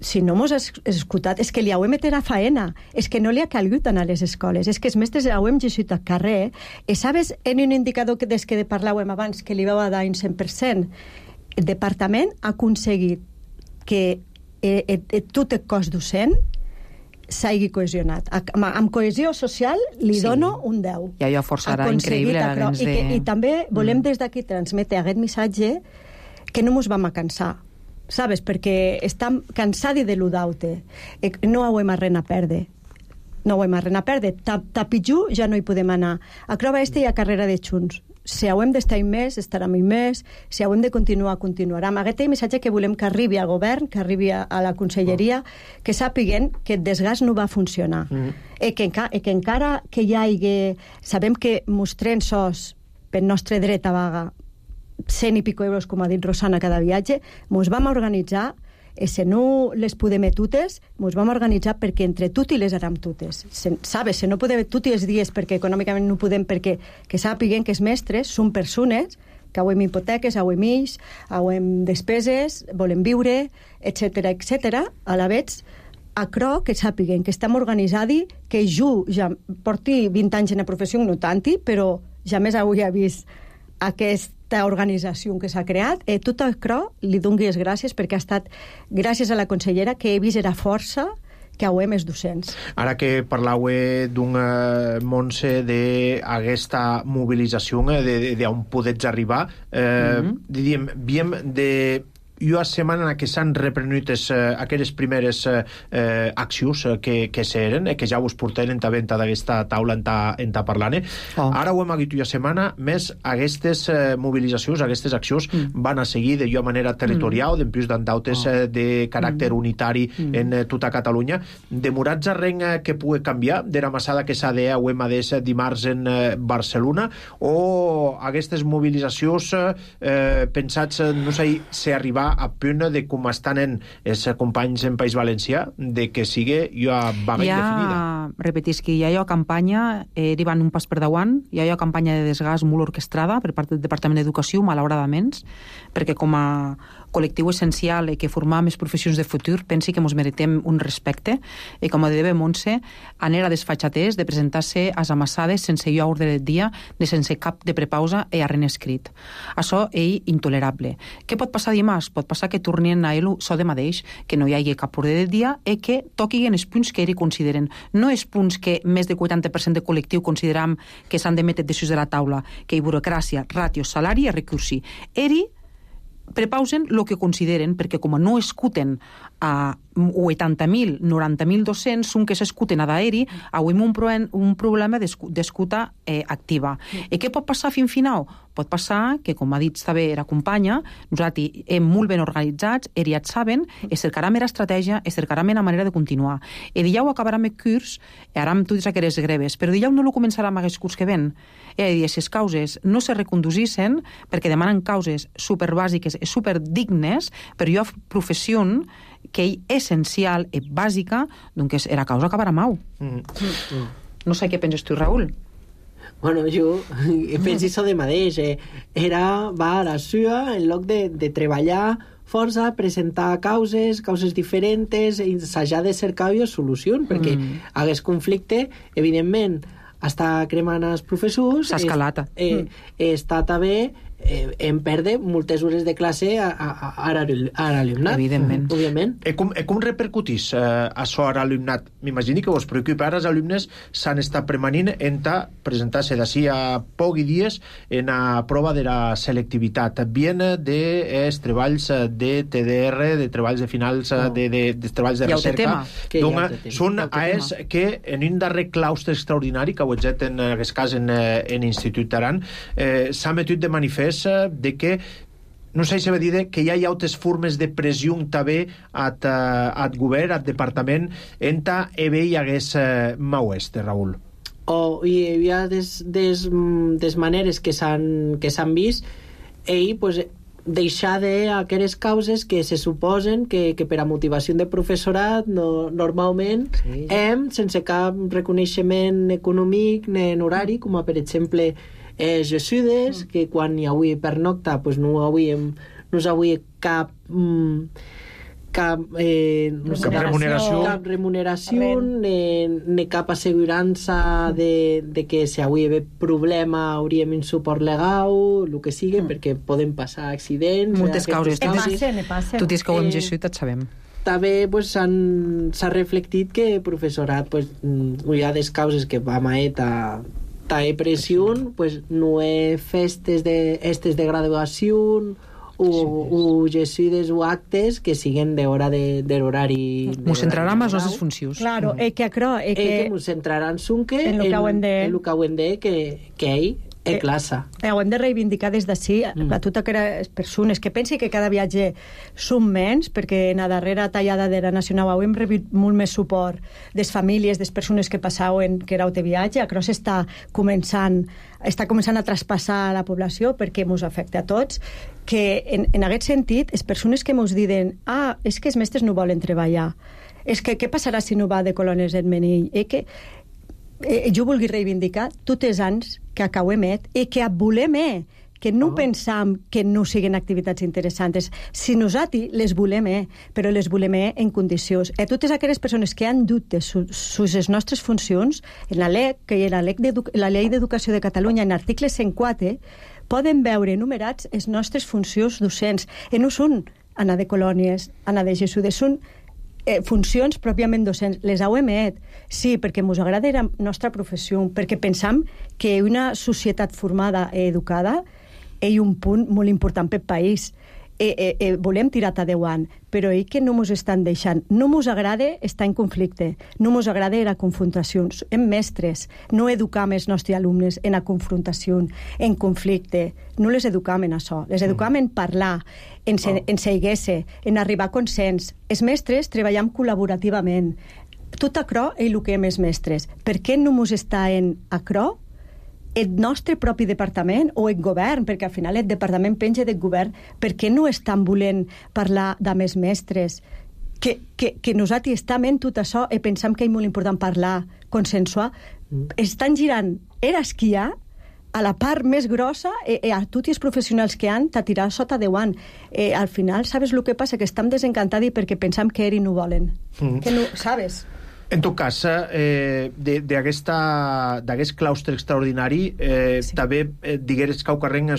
si no mos has escoltat, és que li hauem meter a faena, és que no li ha calgut anar a les escoles, és que els mestres hauem llegit al carrer, i sabes, en un indicador des que parlàvem abans, que li vau dar un 100%, el departament ha aconseguit que tot el cos docent s'hagi cohesionat. Amb cohesió social li dono un 10. I allò força era increïble. I també volem des d'aquí transmetre aquest missatge que no mos vam a cansar, sabes? Perquè estem cansats de l'udaute. No hauem a res a perdre. No hauem a res a perdre. Tapitjú ja no hi podem anar. A Crova Este hi ha carrera de Junts. Si hauem d'estar més, estarem més. Si hauem de continuar, continuarem. Aquest missatge que volem que arribi al govern, que arribi a la conselleria, que sàpiguen que el desgast no va funcionar. Que encara que hi hagi... Sabem que mostrem sos per nostre dret a vaga 100 i pico euros, com ha dit Rosana, cada viatge, mos vam organitzar. Si no les podem totes, ens vam organitzar perquè entre tot i les aram totes. Sabes, si no podem tots els dies perquè econòmicament no podem, perquè que sàpiguen que els mestres són persones que hauem hipoteques, hauem fills, hauem despeses, volem viure, etc etc. A la vegada, a Cro, que sàpiguen que estem organitzats, que jo ja porti 20 anys en la professió, no tanti, però ja més avui he vist aquesta organització que s'ha creat. Tot el Cro li doni les gràcies perquè ha estat gràcies a la consellera que he vist la força que hauem els docents. Ara que parlau d'un Montse d'aquesta mobilització d'on podets arribar, diríem, viem de una setmana en què s'han reprenut aquelles primeres accions que s'eren, que ja us porteren també d'aquesta taula en ta parlant. Ara ho hem hagut una setmana, més aquestes mobilitzacions, aquestes accions van a seguir d'una manera territorial, d'empius d'andautes de caràcter unitari en tota Catalunya. Demorats a ren que pugui canviar de la massada que s'ha de ho hem adés dimarts en Barcelona, o aquestes mobilitzacions pensats, no sé si arribar a punt de com estan els companys en País Valencià, de que sigui una vaga indefinida. Repetís que hi ha una campanya, van un pas per davant, hi ha una campanya de desgast molt orquestrada per part del Departament d'Educació, malauradament, perquè com a col·lectiu essencial que formar més professions de futur, pensi que ens meritem un respecte, i com a deia Montse, anar a desfatxaters de presentar-se a les amassades sense jo ordre del dia, ni sense cap de prepausa i arren escrit. Això és intolerable. Què pot passar dimarts? Pot passar que tornin a ell so de mateix, que no hi hagi cap ordre del dia i que toquin els punts que ells consideren. No els punts que més del 40% del col·lectiu consideram que s'han de metre decisions de la taula, que hi burocràcia, ràtio, salari i recursi. Ells prepausen el que consideren, perquè com no escuten a 80.000, 90.000 docents, són que s'escuten a d'aeri, avui un problema d'escuta activa. I què pot passar fins final? Pot passar que, com ha dit també la companya, nosaltres hem molt ben organitzats, ells ja saben, es cercarà més estratègia, es cercarà més manera de continuar. I dillau acabarem el curs, aram totes aquelles greves, però dillau no lo començarem aquest curs que ven. I si les causes no se reconduïssin, perquè demanen causes superbàsiques i superdignes, per jo professió que és essencial i bàsica, doncs era causa acabar a mau. No sé què penses tu, Raül. Bueno, jo penso això de mateix. Va a la sua, en lloc de treballar força, presentar causes diferents, ensajar de cercar solucions, perquè hagués conflicte, evidentment, està cremant els professors. S'ha escalat. Està també en perdre moltes hores de classe a l'alumnat. Evidentment. Òbviament. Com repercutís això a l'alumnat? M'imagini que vos preocupa ara els alumnes s'han estat premanint en presentar-se d'ací a pocs dies en la prova de la selectivitat. Bien dels treballs de TDR, de treballs de finals, de treballs de recerca. Són AES que en un darrer claustre extraordinari que hohet en aquest cas en Institut Aran s'ha metut de manifest de que no sé si va dir que hi ha altres formes de pressió també al govern, al departament, en hi hagués maueste, Raül. Hi ha des maneres que s'han vist pues, deixar d'aquestes causes que se suposen que per a motivació de professorat normalment sense cap reconeixement econòmic ni en horari, com per exemple Jesudes, que quan hi avui pernocta pues no avui cap remuneració ni cap assegurança de que si avui hi ha problema hauríem un suport legal, el que sigui, perquè poden passar accidents. Moltes causes. Passen. Tu tens que ho hem llegit, et sabem. També pues, s'ha reflectit que el professorat pues, hi ha des causes que va maeta pressió, pues, no hi ha festes de graduació o gesides o actes que siguen d'hora de l'horari. M'ho centrarà en les nostres funcions. Claro, que m'ho centrarà en sunque en el que ho hem de que ell classe. Ho hem de reivindicar des d'ací a totes aquelles persones que pensi que cada viatge són menys, perquè en la darrera tallada de la Nacional hem rebut molt més suport des famílies, des persones que passaven que éreu de viatge. Això està començant a traspassar la població perquè ens afecta a tots, que en aquest sentit les persones que ens diuen és que els mestres no volen treballar, és que què passarà si no va de colònies en Menill, jo vulgui reivindicar tots els anys que acabem i que volem que no pensam que no siguin activitats interessants. Si nosaltres les volem però les volem en condicions. Totes aquelles persones que han dubtes sobre les nostres funcions, en la LEC, que era la Llei d'Educació de Catalunya, en l'article 104, poden veure enumerats les nostres funcions docents. No són anar de colònies, anar de Jesudes, són funcions pròpiament docents. Les heu sí, perquè ens agrada la nostra professió, perquè pensam que una societat formada i educada és un punt molt important pel país. Volem tirar endavant, però que no ens estan deixant. No ens agrada estar en conflicte, no ens agrada la confrontació. Hem mestres, no educam els nostres alumnes en la confrontació, en conflicte. No les educam en això. Les educam en parlar, en seguir-se, en arribar a consens. Els mestres treballem col·laborativament. Tot això és el que hem els mestres. Per què no ens està en això el nostre propi departament o el govern, perquè al final el departament penja del govern, per què no estan volent parlar amb els mestres? Que nosaltres estem en tot això i pensem que és molt important parlar, consensuar. Estan girant esquiar a la part més grossa a tots els professionals que han de tirar sota davant. Al final, sabes el que passa? Que estem desencantats perquè pensam que no volen. Que no, sabes? En tot cas, d'aquest claustre extraordinari, també digueres que carrega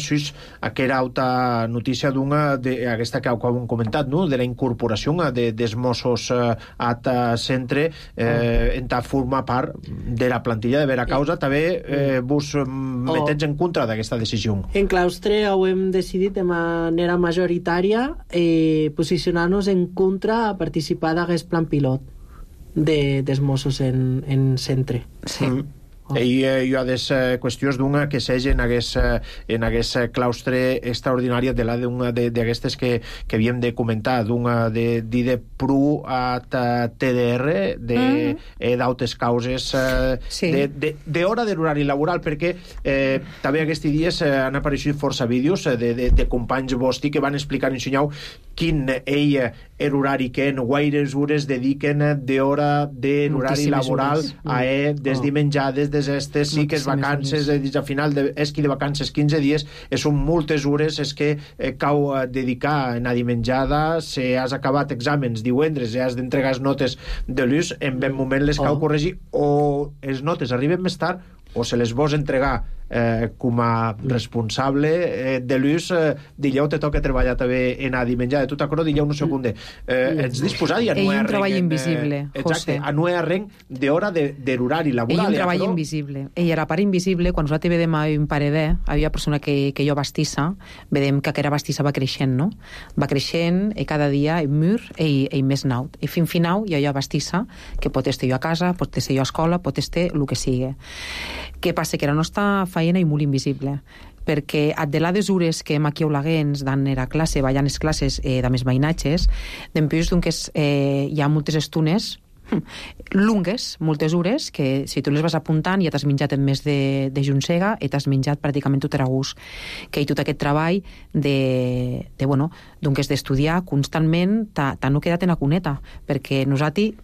aquella altra notícia d'aquesta que hem comentat, de la incorporació dels Mossos al centre en formar part de la plantilla de vera causa. També vos metets en contra d'aquesta decisió. En claustre hem decidit de manera majoritària posicionar-nos en contra a participar d'aquest plan pilot dels Mossos en centre. Sí. Hi ha des qüestions d'una que s'hagi en aquest claustre extraordinari d'aquestes que havíem de comentar, d'una de dir de pru a TDR, d'altres causes d'hora de l'horari laboral, perquè també aquests dies han aparegut força vídeos de companys vostres que van explicar i ensenyar quin er horari que en guaires hores dediquen d'hora de l'horari laboral a des dimenjades, des estes, sí que és vacances, a final esqui de vacances 15 dies, són moltes hores és que cau dedicar en a dimenjada, si has acabat exàmens divendres i has d'entregar les notes de l'ús, en ben moment les cau corregir, o les notes arriben més tard o se les vols entregar com a responsable de l'ús, dillau te toca treballar també en a dimenjada, tu t'acordo dillau un segon ets disposat i a no un treball invisible, exacte, a no arrenc d'hora de l'horari laboral. Un treball invisible. I a la part invisible, quan nosaltres vedem un paredè, havia persona que jo bastissa, vedem que aquella bastissa va creixent, no? Va creixent i cada dia el mur i més naut. I fin final hi ha jo bastissa que pot estar jo a casa, pot estar jo a escola, pot estar el que sigui. Què passa? Que la nostra feina és molt invisible, perquè a de les hores que hem aquí a Olaguens dan era classe, ballant les classes de més veïnatges, d'empús doncs hi ha moltes estones lungues, moltes hores, que si tu les vas apuntant ja t'has menjat en més de juncega i t'has menjat pràcticament tot era gust. Que hi tot aquest treball d'estudiar constantment t'ha no quedat en la cuneta, perquè nosaltres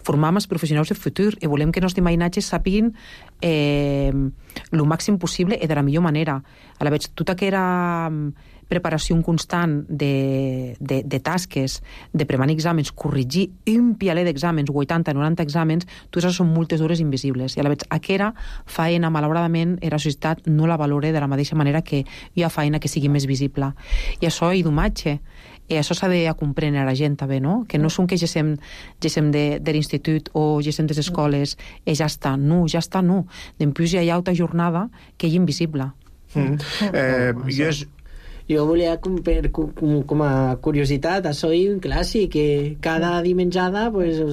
formam els professionals del futur i volem que els nostres veïnatges sàpiguin el màxim possible i de la millor manera. A la vegada, tota aquella preparació constant de tasques, de preparar exàmens, corregir un pialer d'exàmens, 80-90 exàmens, tots això són moltes hores invisibles. I a la vegada, aquella feina, malauradament, la societat no la valora de la mateixa manera que hi ha feina que sigui més visible. I això és domatge. I això s'ha de comprendre a la gent també, no? Que no són que gessem de l'institut o gessem de les escoles i ja està. No, ja està, no. D'empús hi ha altra jornada que és invisible. Jo volia, com a curiositat, això és un clàssic, que cada dimenjada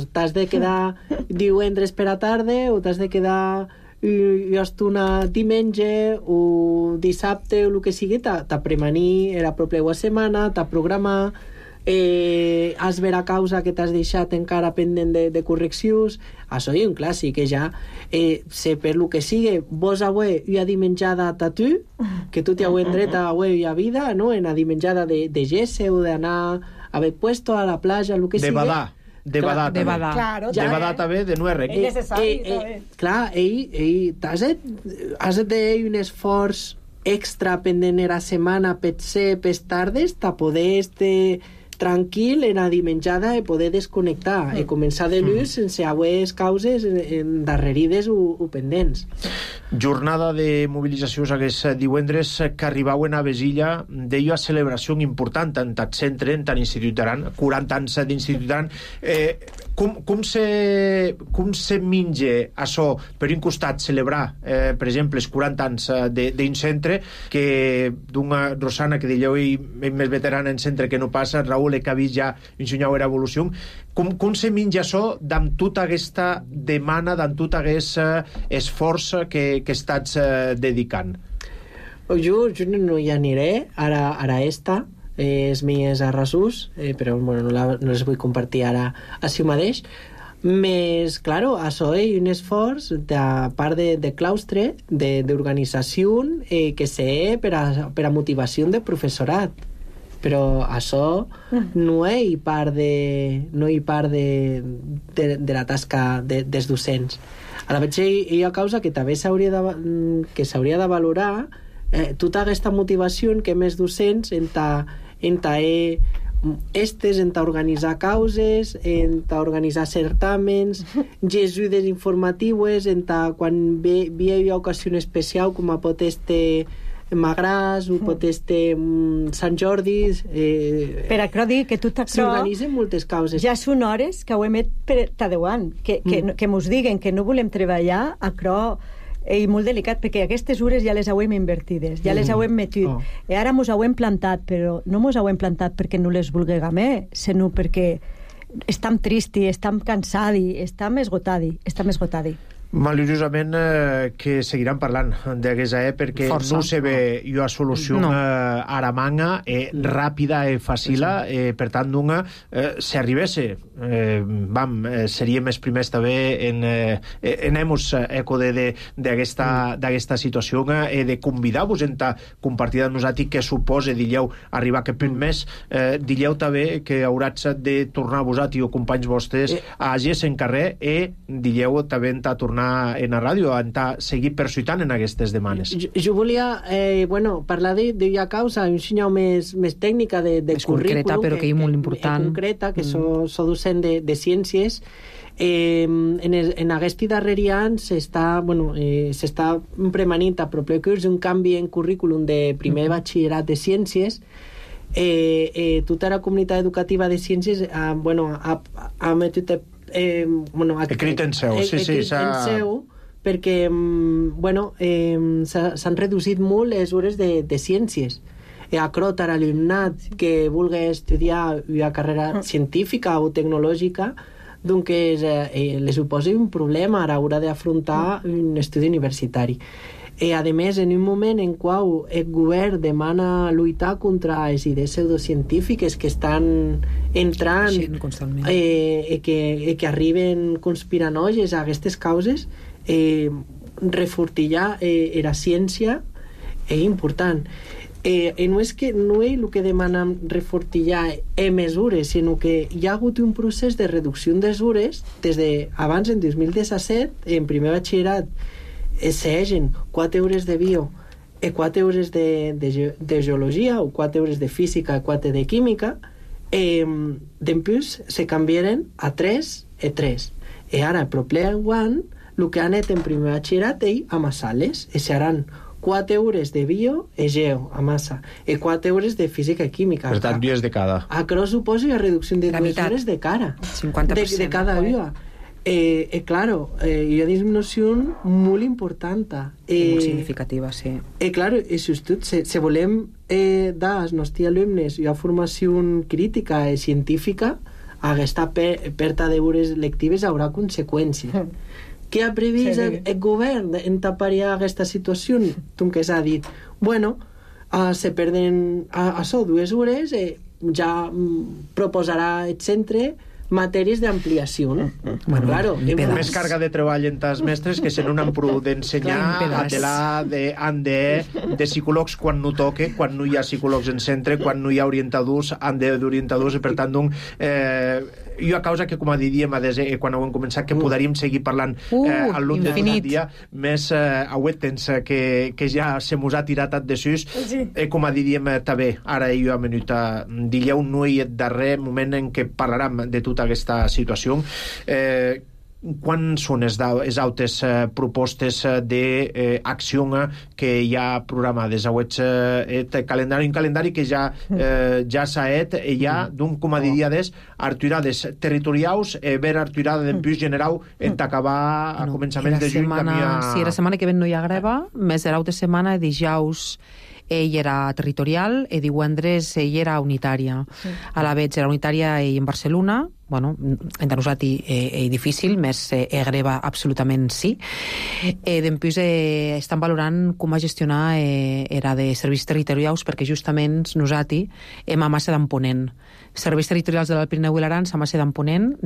t'has de quedar divendres per a tarda o t'has de quedar una diumenge o dissabte o el que sigui, t'ha premanir la propera setmana, t'ha programar, has ver a causa que t'has deixat encara pendent de correccions. Això és un clàssic, ja sé per el que sigui, vos avui hi ha dimenjada a tu, que tu t'hi heu dret a avui hi ha vida, no? En la dimenjada de gesse o d'anar a haver puesto a la platja, el que sigui. De badar també. Claro, de badar també, de no errec. És necessari, també. Clar, has de fer un esforç extra pendent la setmana per ser per tardes, ta poder estar tranquil en la dimenjada i poder desconnectar i començar de l'ús sense haver causes endarrerides o pendents. Jornada de mobilitzacions aquests divendres que arribaven a Besilla, deia a celebració important en tant centre, en tant Institut d'Aran, 40 anys d'Institut d'Aran. Com se menja això? Per un costat, celebrar, per exemple, els 40 anys d'un centre, que d'una Rosana, que dieu més veterana en centre que no passa, Raül, que ha vist ja ensenyar la evolució. Com se menja això amb tota aquesta demanda, amb tot aquest esforç que estàs dedicant? Jo no hi aniré ara esta, és més a resús, però no les vull compartir ara així mateix. Més, claro, això és un esforç de part de claustre, d'organització, que sé per a motivació de professorat. Però això no hi part de la tasca dels docents. A la vegada hi ha causa que també s'hauria de valorar tota aquesta motivació que més docents en organitzar causes, en organitzar certàmens, ajudes informatives, quan hi ha ocasió especial com a pot estar Magràs o pot estar Sant Jordi, per això dic que tot això s'organitzen moltes causes. Ja són hores que ho hem fet per tadeuant, que mos diguen que no volem treballar, això és molt delicat, perquè aquestes hores ja les hem invertides, ja les hem metut, i ara mos hem plantat, però no mos hem plantat perquè no les vulguem, sinó perquè estem tristi, estem cansadi, estem esgotadi. Maliciosament que seguiran parlant d'aquesta perquè Força. no se ve una solució aramanga, ràpida i fàcila, per tant, si arribés, seríem els primers també en hemos eco d'aquesta situació de convidar-vos a compartir amb nosaltres què suposa, dilleu, arribar aquest mes, dilleu també que hauràs de tornar vosaltres o companys vostres a agir en carrer i dilleu també a tornar en la ràdio, a seguir persuitant en aquestes demanes. Jo volia parlar d'una causa un senyal més tècnica de currículum, concreta, però que és molt important. Concreta, que so docent de ciències. En aquest darrer any s'està premanint a proper curs un canvi en currículum de primer batxillerat de ciències. Tota la comunitat educativa de ciències ha metut escrit en seu, perquè s'han reducit molt les hores de ciències. Acrot a l'alumnat que vulgui estudiar una carrera científica o tecnològica, doncs li suposa un problema a l'hora d'afrontar un estudi universitari. A més, en un moment en qual el govern demana lluitar contra les idees pseudocientífiques que estan entrant que arriben conspiranoies a aquestes causes, refortillar la ciència és important. No és el que demanen refortillar mesures, sinó que hi ha hagut un procés de reducció de mesures des d'abans, en 2017, en primer batxillerat, s'egen 4 hores de bio i 4 hores de geologia o 4 hores de física i 4 de química, després se canviaren a 3 i 3. I ara, el proper any, el que han anat en primer batxillerat és amassar-les, i seran 4 hores de bio i geo, a massa, i 4 hores de física i química. Per tant, dies de cada. Això suposa una reducció de 2 hores de cara. 50%. De cada dia. Claro, hi ha disminució molt important. Molt significativa, sí. Claro, si volem dar als nostres alumnes una formació crítica i científica, aquesta pèrdua d'hores lectives haurà conseqüències. Què ha previst el govern en tapar-hi aquesta situació? Que s'ha dit, se perden això 2 hores, ja proposarà el centre matèries d'ampliació. Claro, més càrrega de treball en els mestres que se no han prou d'ensenyar han de psicòlegs quan no toque, quan no hi ha psicòlegs en centre, quan no hi ha orientadors, han d'orientadors, i per tant hi ha causa que, com diríem quan ho hem començat, que podríem seguir parlant al lluny de dia, més avui temps que ja se mos ha tirat de sus, com diríem també, ara hi ha menut dilleu no hi ha darrer moment en què parlarem de tota aquesta situació. Quan són les altres propostes d'acció que hi ha programades? Un calendari que ja s'ha fet, hi ha, com diria, arturades territorials, ver arturada d'empús general en acabar a començaments de juny. Sí, la setmana que ven no hi ha greva, més l'altra setmana, dijous ell era territorial i divendres ell era unitària. A la vegada era unitària i en Barcelona, entre nosaltres és difícil, més greva absolutament sí. Després estan valorant com a gestionar era de serveis territorials, perquè justament nosaltres hem a massa d'emponent. Serveis territorials de l'Alt-Pirineu i l'Aran a massa d'emponent,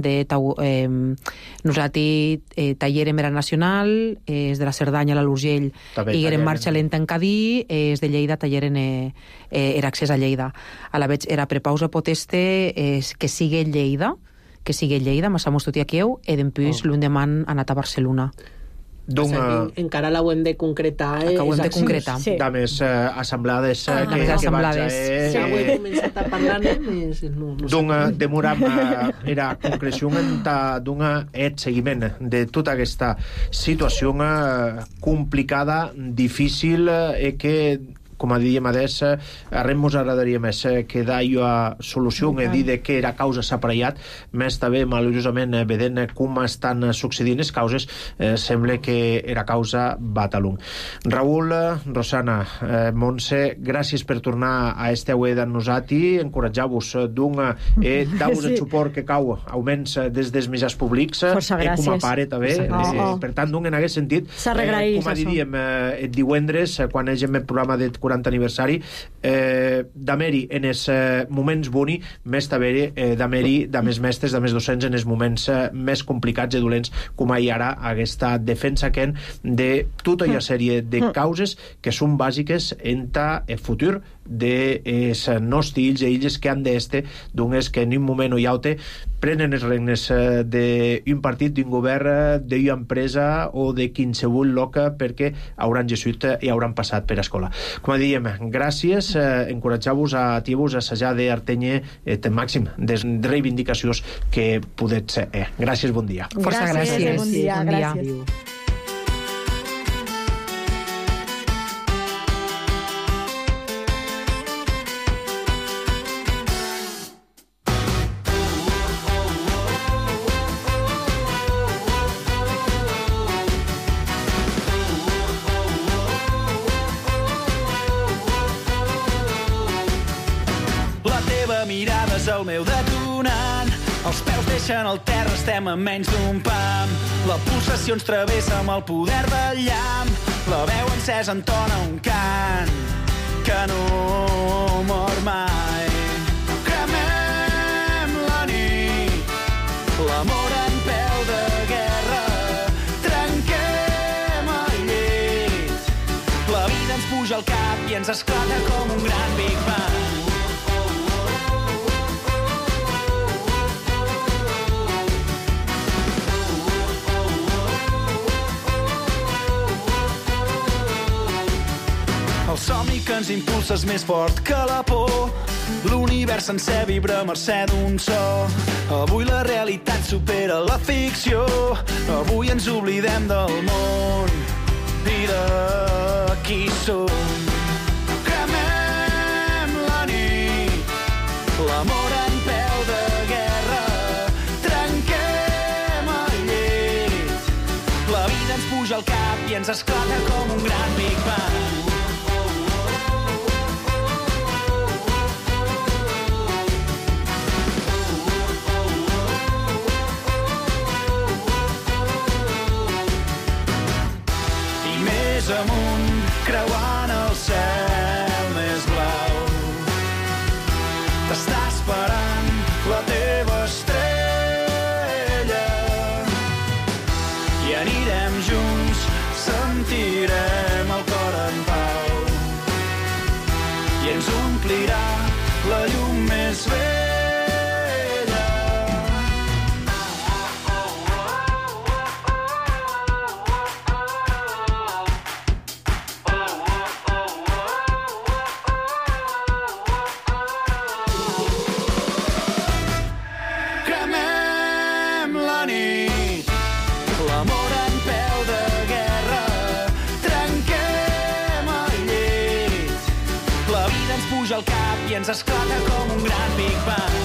nosaltres tallerem era nacional, és de la Cerdanya a l'Urgell i era en marxa lenta en Cadí, és de Lleida talleren era accés a Lleida. A la vegada era prepausa poteste que sigui Lleida, massamos tot i aquí, i després l'endemà han anat a Barcelona. Encara l'hem de concretar. Acabem de concretar. De més assemblades que si ho he començat a parlar més... Demoram era concreció d'un seguiment de tota aquesta situació complicada, difícil, que com a diem adés, arrem mos agradaria més que d'allò a solució, okay. Dir de què era causa s'aparellat, més també maluriosament vedent com estan succeint les causes, sembla que era causa Batalung. Raül, Rosana, Montse, gràcies per tornar a este aué d'en nosati, encoratjar-vos dar-vos el suport que cau augments des dels mitjans públics, com a pare també, per tant, en aquest sentit, com a diríem el divendres, quan hagem el programa del 40 aniversari, d'haver-hi en els moments boni, més d'haver-hi d'haver-hi de més mestres, de més docents en els moments més complicats i dolents, com hi ara aquesta defensa que de tota una sèrie de causes que són bàsiques en el futur dels nostres fills i illes que han d'este, doncs que en un moment o altre prenen les regnes d'un partit, d'un govern, d'una empresa o de qualsevol loca perquè hauran gessuit i hauran passat per escola. Com diem, gràcies, encoratjar-vos a tir-vos a assajar d'artenye el màxim de reivindicacions que podet ser. Gràcies, bon dia. Força gràcies. Bon dia, gràcies. El meu detonant, els peus deixen el terra, estem a menys d'un pam. La pulsació ens travessa amb el poder del llamp, la veu encesa entona un cant que no mor mai. Cremem la nit, l'amor en peu de guerra, trenquem el llit, la vida ens puja al cap i ens esclata com un gran Big Bang. El somni que ens impulsa és més fort que la por. L'univers sencer vibra a mercè d'un so. Avui la realitat supera la ficció. Avui ens oblidem del món i de qui som. Cremem la nit, l'amor en peu de guerra, trenquem el llit, la vida ens puja al cap i ens esclata com un gran Big Bang. Amunt, creuant el cel més blau, t'està esperant la teva estrella i anirem junts, sentirem el cor en pau i ens omplirà la llum més vella. I ens esclata com un gran Big Bang.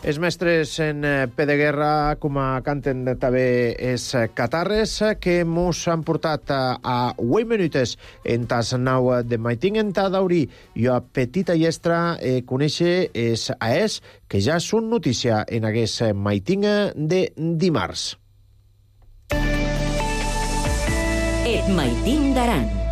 Els mestres en P de guerra, com a canten també els catarres, que mos han portat a 8 minutes en tas nau de Maiting en ta d'Aurí i a petita llestra conèixer els AES, que ja són notícia en aquest Maiting de dimarts. Et Maiting d'Aran.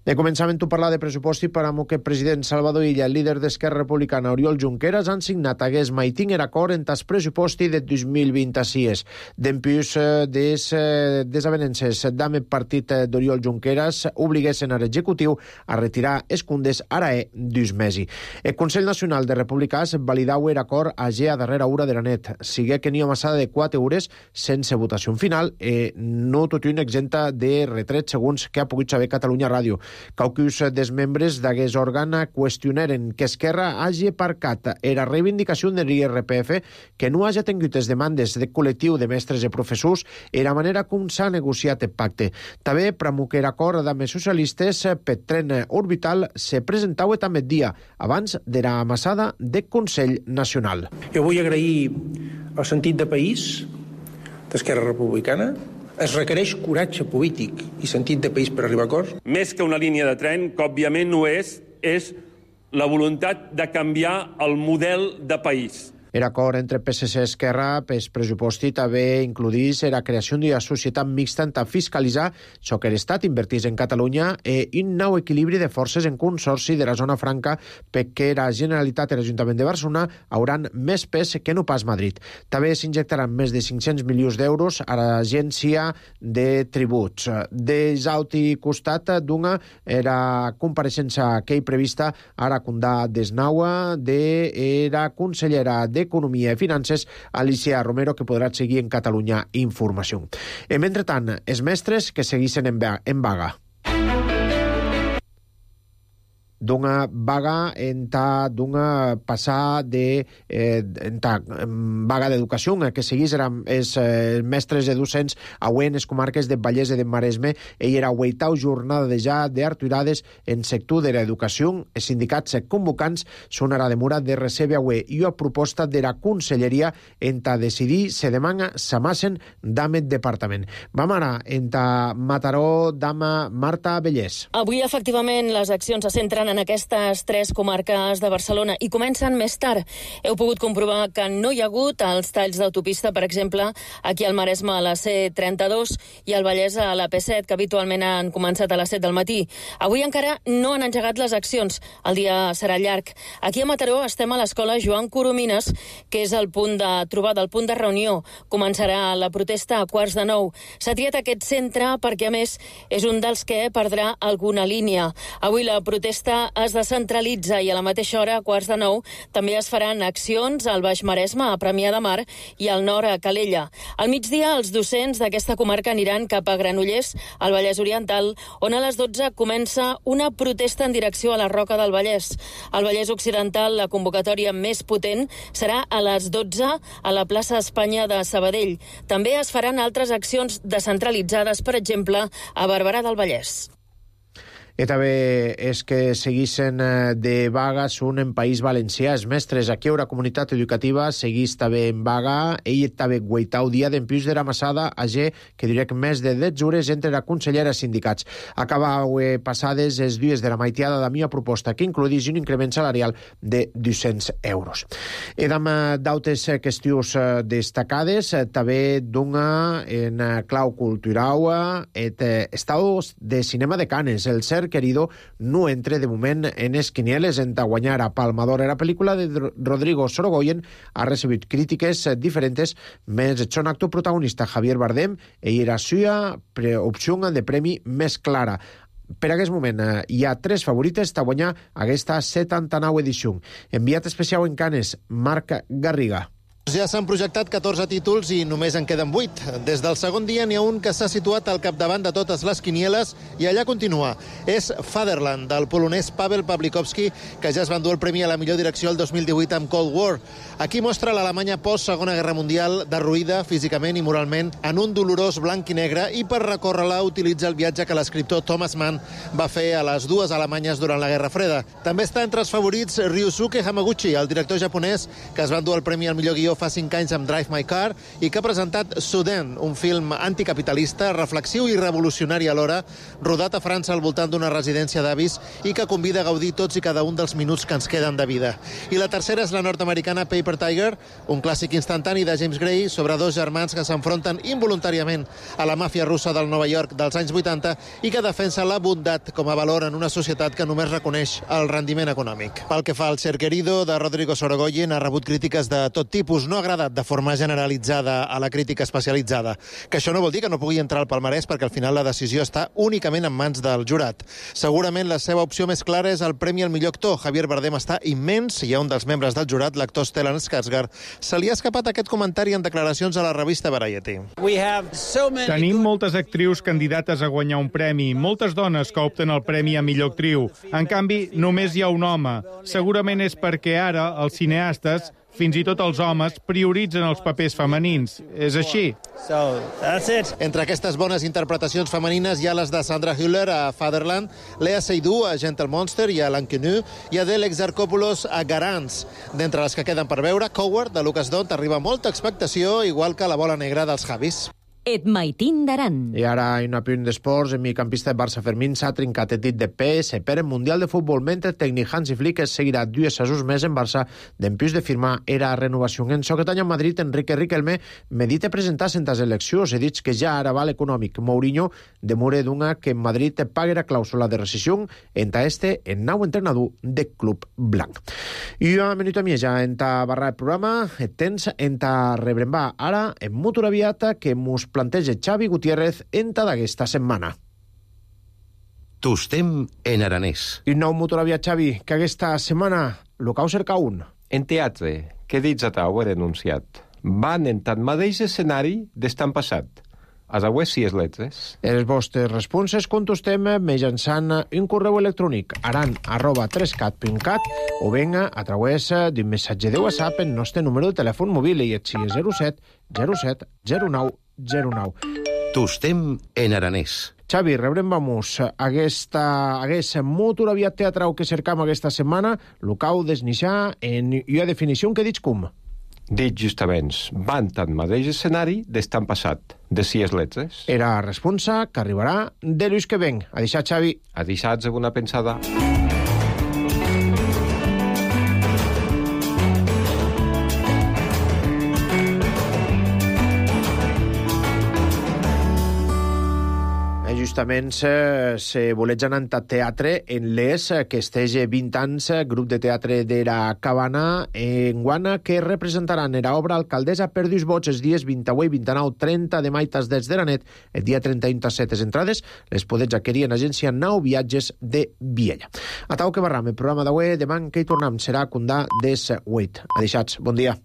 De començament a parlar de pressupost i per a que el president Salvador Illa, el líder d'Esquerra Republicana Oriol Junqueras, han signat aquest Maiting en acord en tas pressuposti de 2026. Dempius des avenences d'ame partit d'Oriol Junqueras obliguessin a l'executiu a retirar escundes arae dus mesi. El Consell Nacional de Republicans validau er acord a darrera hora de la net. Sigue que n'hi ha massada de 4 hores sense votació final no tot un exenta de retret segons que ha pogut saber Catalunya Ràdio. Quauquis dels membres d'aquest òrgan qüestionaren que Esquerra hagi aparcat era reivindicació de l'IRPF, que no hagi tingut les demandes del col·lectiu de mestres i professors i la manera com s'ha negociat el pacte. També pramuquer acord amb els socialistes per tren orbital se presentava també dia abans de la amassada del Consell Nacional. Jo vull agrair el sentit de país d'Esquerra Republicana. Es requereix coratge polític i sentit de país per arribar a acords. Més que una línia de tren, que òbviament no és la voluntat de canviar el model de país. L'acord entre PSC i Esquerra per pressuposti també includís la creació d'una societat mixta en fiscalitzar això que l'Estat invertís en Catalunya i un nou equilibri de forces en consorci de la zona franca perquè la Generalitat i l'Ajuntament de Barcelona hauran més pes que no pas Madrid. També s'injectaran més de 500 milions d'euros a l'Agència de Tributs. Des altre costat d'una la compareixença que hi prevista a la Condà d'Esnaua de la consellera d'Economia i Finances, Alicia Romero, que podrà seguir en Catalunya Informació. Mentrestant, els mestres que segueixen en vaga. D'una vaga d'una passar de vaga d'educació que seguís els mestres de docents avui en les comarques de Vallès i de Maresme. Ell era hueitau jornada de ja d'arturades en sector de l'educació. Els sindicats convocants són a la demora de recebre avui i a proposta de la Conselleria en decidir se demana s'amassen d'àmbit departament. Vam ara en Mataró d'ama Marta Bellès. Avui efectivament les accions se centren en aquestes 3 comarques de Barcelona i comencen més tard. Heu pogut comprovar que no hi ha hagut els talls d'autopista, per exemple, aquí al Maresme a la C32 i al Vallès a la P7, que habitualment han començat a les 7 del matí. Avui encara no han engegat les accions. El dia serà llarg. Aquí a Mataró estem a l'escola Joan Coromines, que és el punt de trobada, el punt de reunió. Començarà la protesta a 8:45. S'ha triat aquest centre perquè, a més, és un dels que perdrà alguna línia. Avui la protesta es descentralitza i a la mateixa hora, a 8:45, també es faran accions al Baix Maresme, a Premià de Mar, i al nord, a Calella. Al migdia, els docents d'aquesta comarca aniran cap a Granollers, al Vallès Oriental, on a les 12 comença una protesta en direcció a la Roca del Vallès. Al Vallès Occidental, la convocatòria més potent serà a les 12 a la plaça Espanya de Sabadell. També es faran altres accions descentralitzades, per exemple, a Barberà del Vallès. I també és que seguissin de vaga són en País Valencià. Els mestres aquí a la comunitat educativa seguís també en vaga. Ell també guaitau dia d'empius de la massada a G, que diria que més de 10 hores entre la consellera i sindicats. Acabau passades els dies de la maitiada de mia proposta, que incluís un increment salarial de 200 euros. I d'altres qüestions destacades, també d'una en clau cultural, estaus de cinema de Canes. El Ser Querido no entre de moment en les quinieles en guanyar a Palma d'Or. La pel·lícula de Rodrigo Sorogoyen ha recibit crítiques diferents, més son actor protagonista Javier Bardem i era suya opció de premi més clara. Per aquest moment hi ha 3 favorites de guanyar aquesta 79 edició. Enviat especial en Canes, Marc Garriga. Ja s'han projectat 14 títols i només en queden 8. Des del segon dia n'hi ha un que s'ha situat al capdavant de totes les quinieles i allà continua. És Fatherland, del polonès Paweł Pawlikowski, que ja es va endur el premi a la millor direcció el 2018 amb Cold War. Aquí mostra l'Alemanya post-Segona Guerra Mundial derruïda físicament i moralment en un dolorós blanc i negre, i per recórrer-la utilitza el viatge que l'escriptor Thomas Mann va fer a les 2 Alemanyes durant la Guerra Freda. També està entre els favorits Ryusuke Hamaguchi, el director japonès que es va endur el premi al millor guió fa 5 anys amb Drive My Car i que ha presentat Suden, un film anticapitalista, reflexiu i revolucionari alhora, rodat a França al voltant d'una residència d'avis i que convida a gaudir tots i cada un dels minuts que ens queden de vida. I la tercera és la nord-americana Paper Tiger, un clàssic instantani de James Gray sobre 2 germans que s'enfronten involuntàriament a la màfia russa del Nova York dels anys 80 i que defensa la bondat com a valor en una societat que només reconeix el rendiment econòmic. Pel que fa al Ser Querido, de Rodrigo Sorogoyen, ha rebut crítiques de tot tipus. no ha agradat de forma generalitzada a la crítica especialitzada. Que això no vol dir que no pugui entrar al palmarès, perquè al final la decisió està únicament en mans del jurat. Segurament la seva opció més clara és el Premi al millor actor. Javier Bardem està immens i a un dels membres del jurat, l'actor Stellan Skarsgård, se li ha escapat aquest comentari en declaracions a la revista Variety. Tenim moltes actrius candidates a guanyar un premi, moltes dones que opten el Premi a millor actriu. En canvi, només hi ha un home. Segurament és perquè ara els cineastes, fins i tot els homes, prioritzen els papers femenins. És així. Entre aquestes bones interpretacions femenines hi ha les de Sandra Hüller a Fatherland, Lea Seydoux a Gentle Monster i a l'Inconnu, i a Adele Exarchopoulos a Garants. D'entre les que queden per veure, Coward, de Lucas Dont, arriba molta expectació, igual que La bola negra dels Javis. Et maitin d'aran. I ara, en un apunt d'esports, el migcampista de Barça Fermín s'ha trincat el dit de PSP en Mundial de Futbol, mentre el tècnic Hansi Flick seguirà 2 assajos més en Barça d'empús de firmar era renovació. En Soquetany, en Madrid, Enrique Riquelme medita presentar-se en les eleccions. He dit que ja ara val econòmic. Mourinho demora d'una que en Madrid paguera clàusula de rescisió enta el nou entrenador de Club Blanc. I una minuta més ja enta barra el programa, tens enta rebrembar ara en Motor Aviata que mos planteja Xavi Gutiérrez enta d'aquesta setmana. Tostem en aranès. I nou Motor Aviat, Xavi, que aquesta setmana lo cau cerca un. En teatre, que dits a tau he denunciat, van en tant mateix escenari d'estan passat. A través si es letres. Els vostres responses contestem mitjançant un correu electrònic aran@3cat.cat o venga a través d'un missatge de WhatsApp en nostre número de telèfon mòbil i és 07 07 09 09. Tostem en aranès. Xavi, rebrem vamos haguest Motor Aviat teatrau que cercam aquesta setmana, lo cau desnixar en una definició que dits com? Dit justament, van tant mateix escenari d'estan passat, de si es letres. Era responsa que arribarà de l'ús que venc. A deixar, Xavi. A deixar una pensada. Justament se voleig anar a teatre en l'ES, que estege 20 anys, grup de teatre de la Cabana, en Guana, que representaran era obra Alcaldessa per 2 vots els dies 28, 29, 30 de maig des de la nit, el dia 31 7 les entrades, les podets adquirir en agència 9 Viatges de Viella. A tau que barram, el programa d'avui, demà que hi tornem serà Condà des 8. Adeixats, bon dia.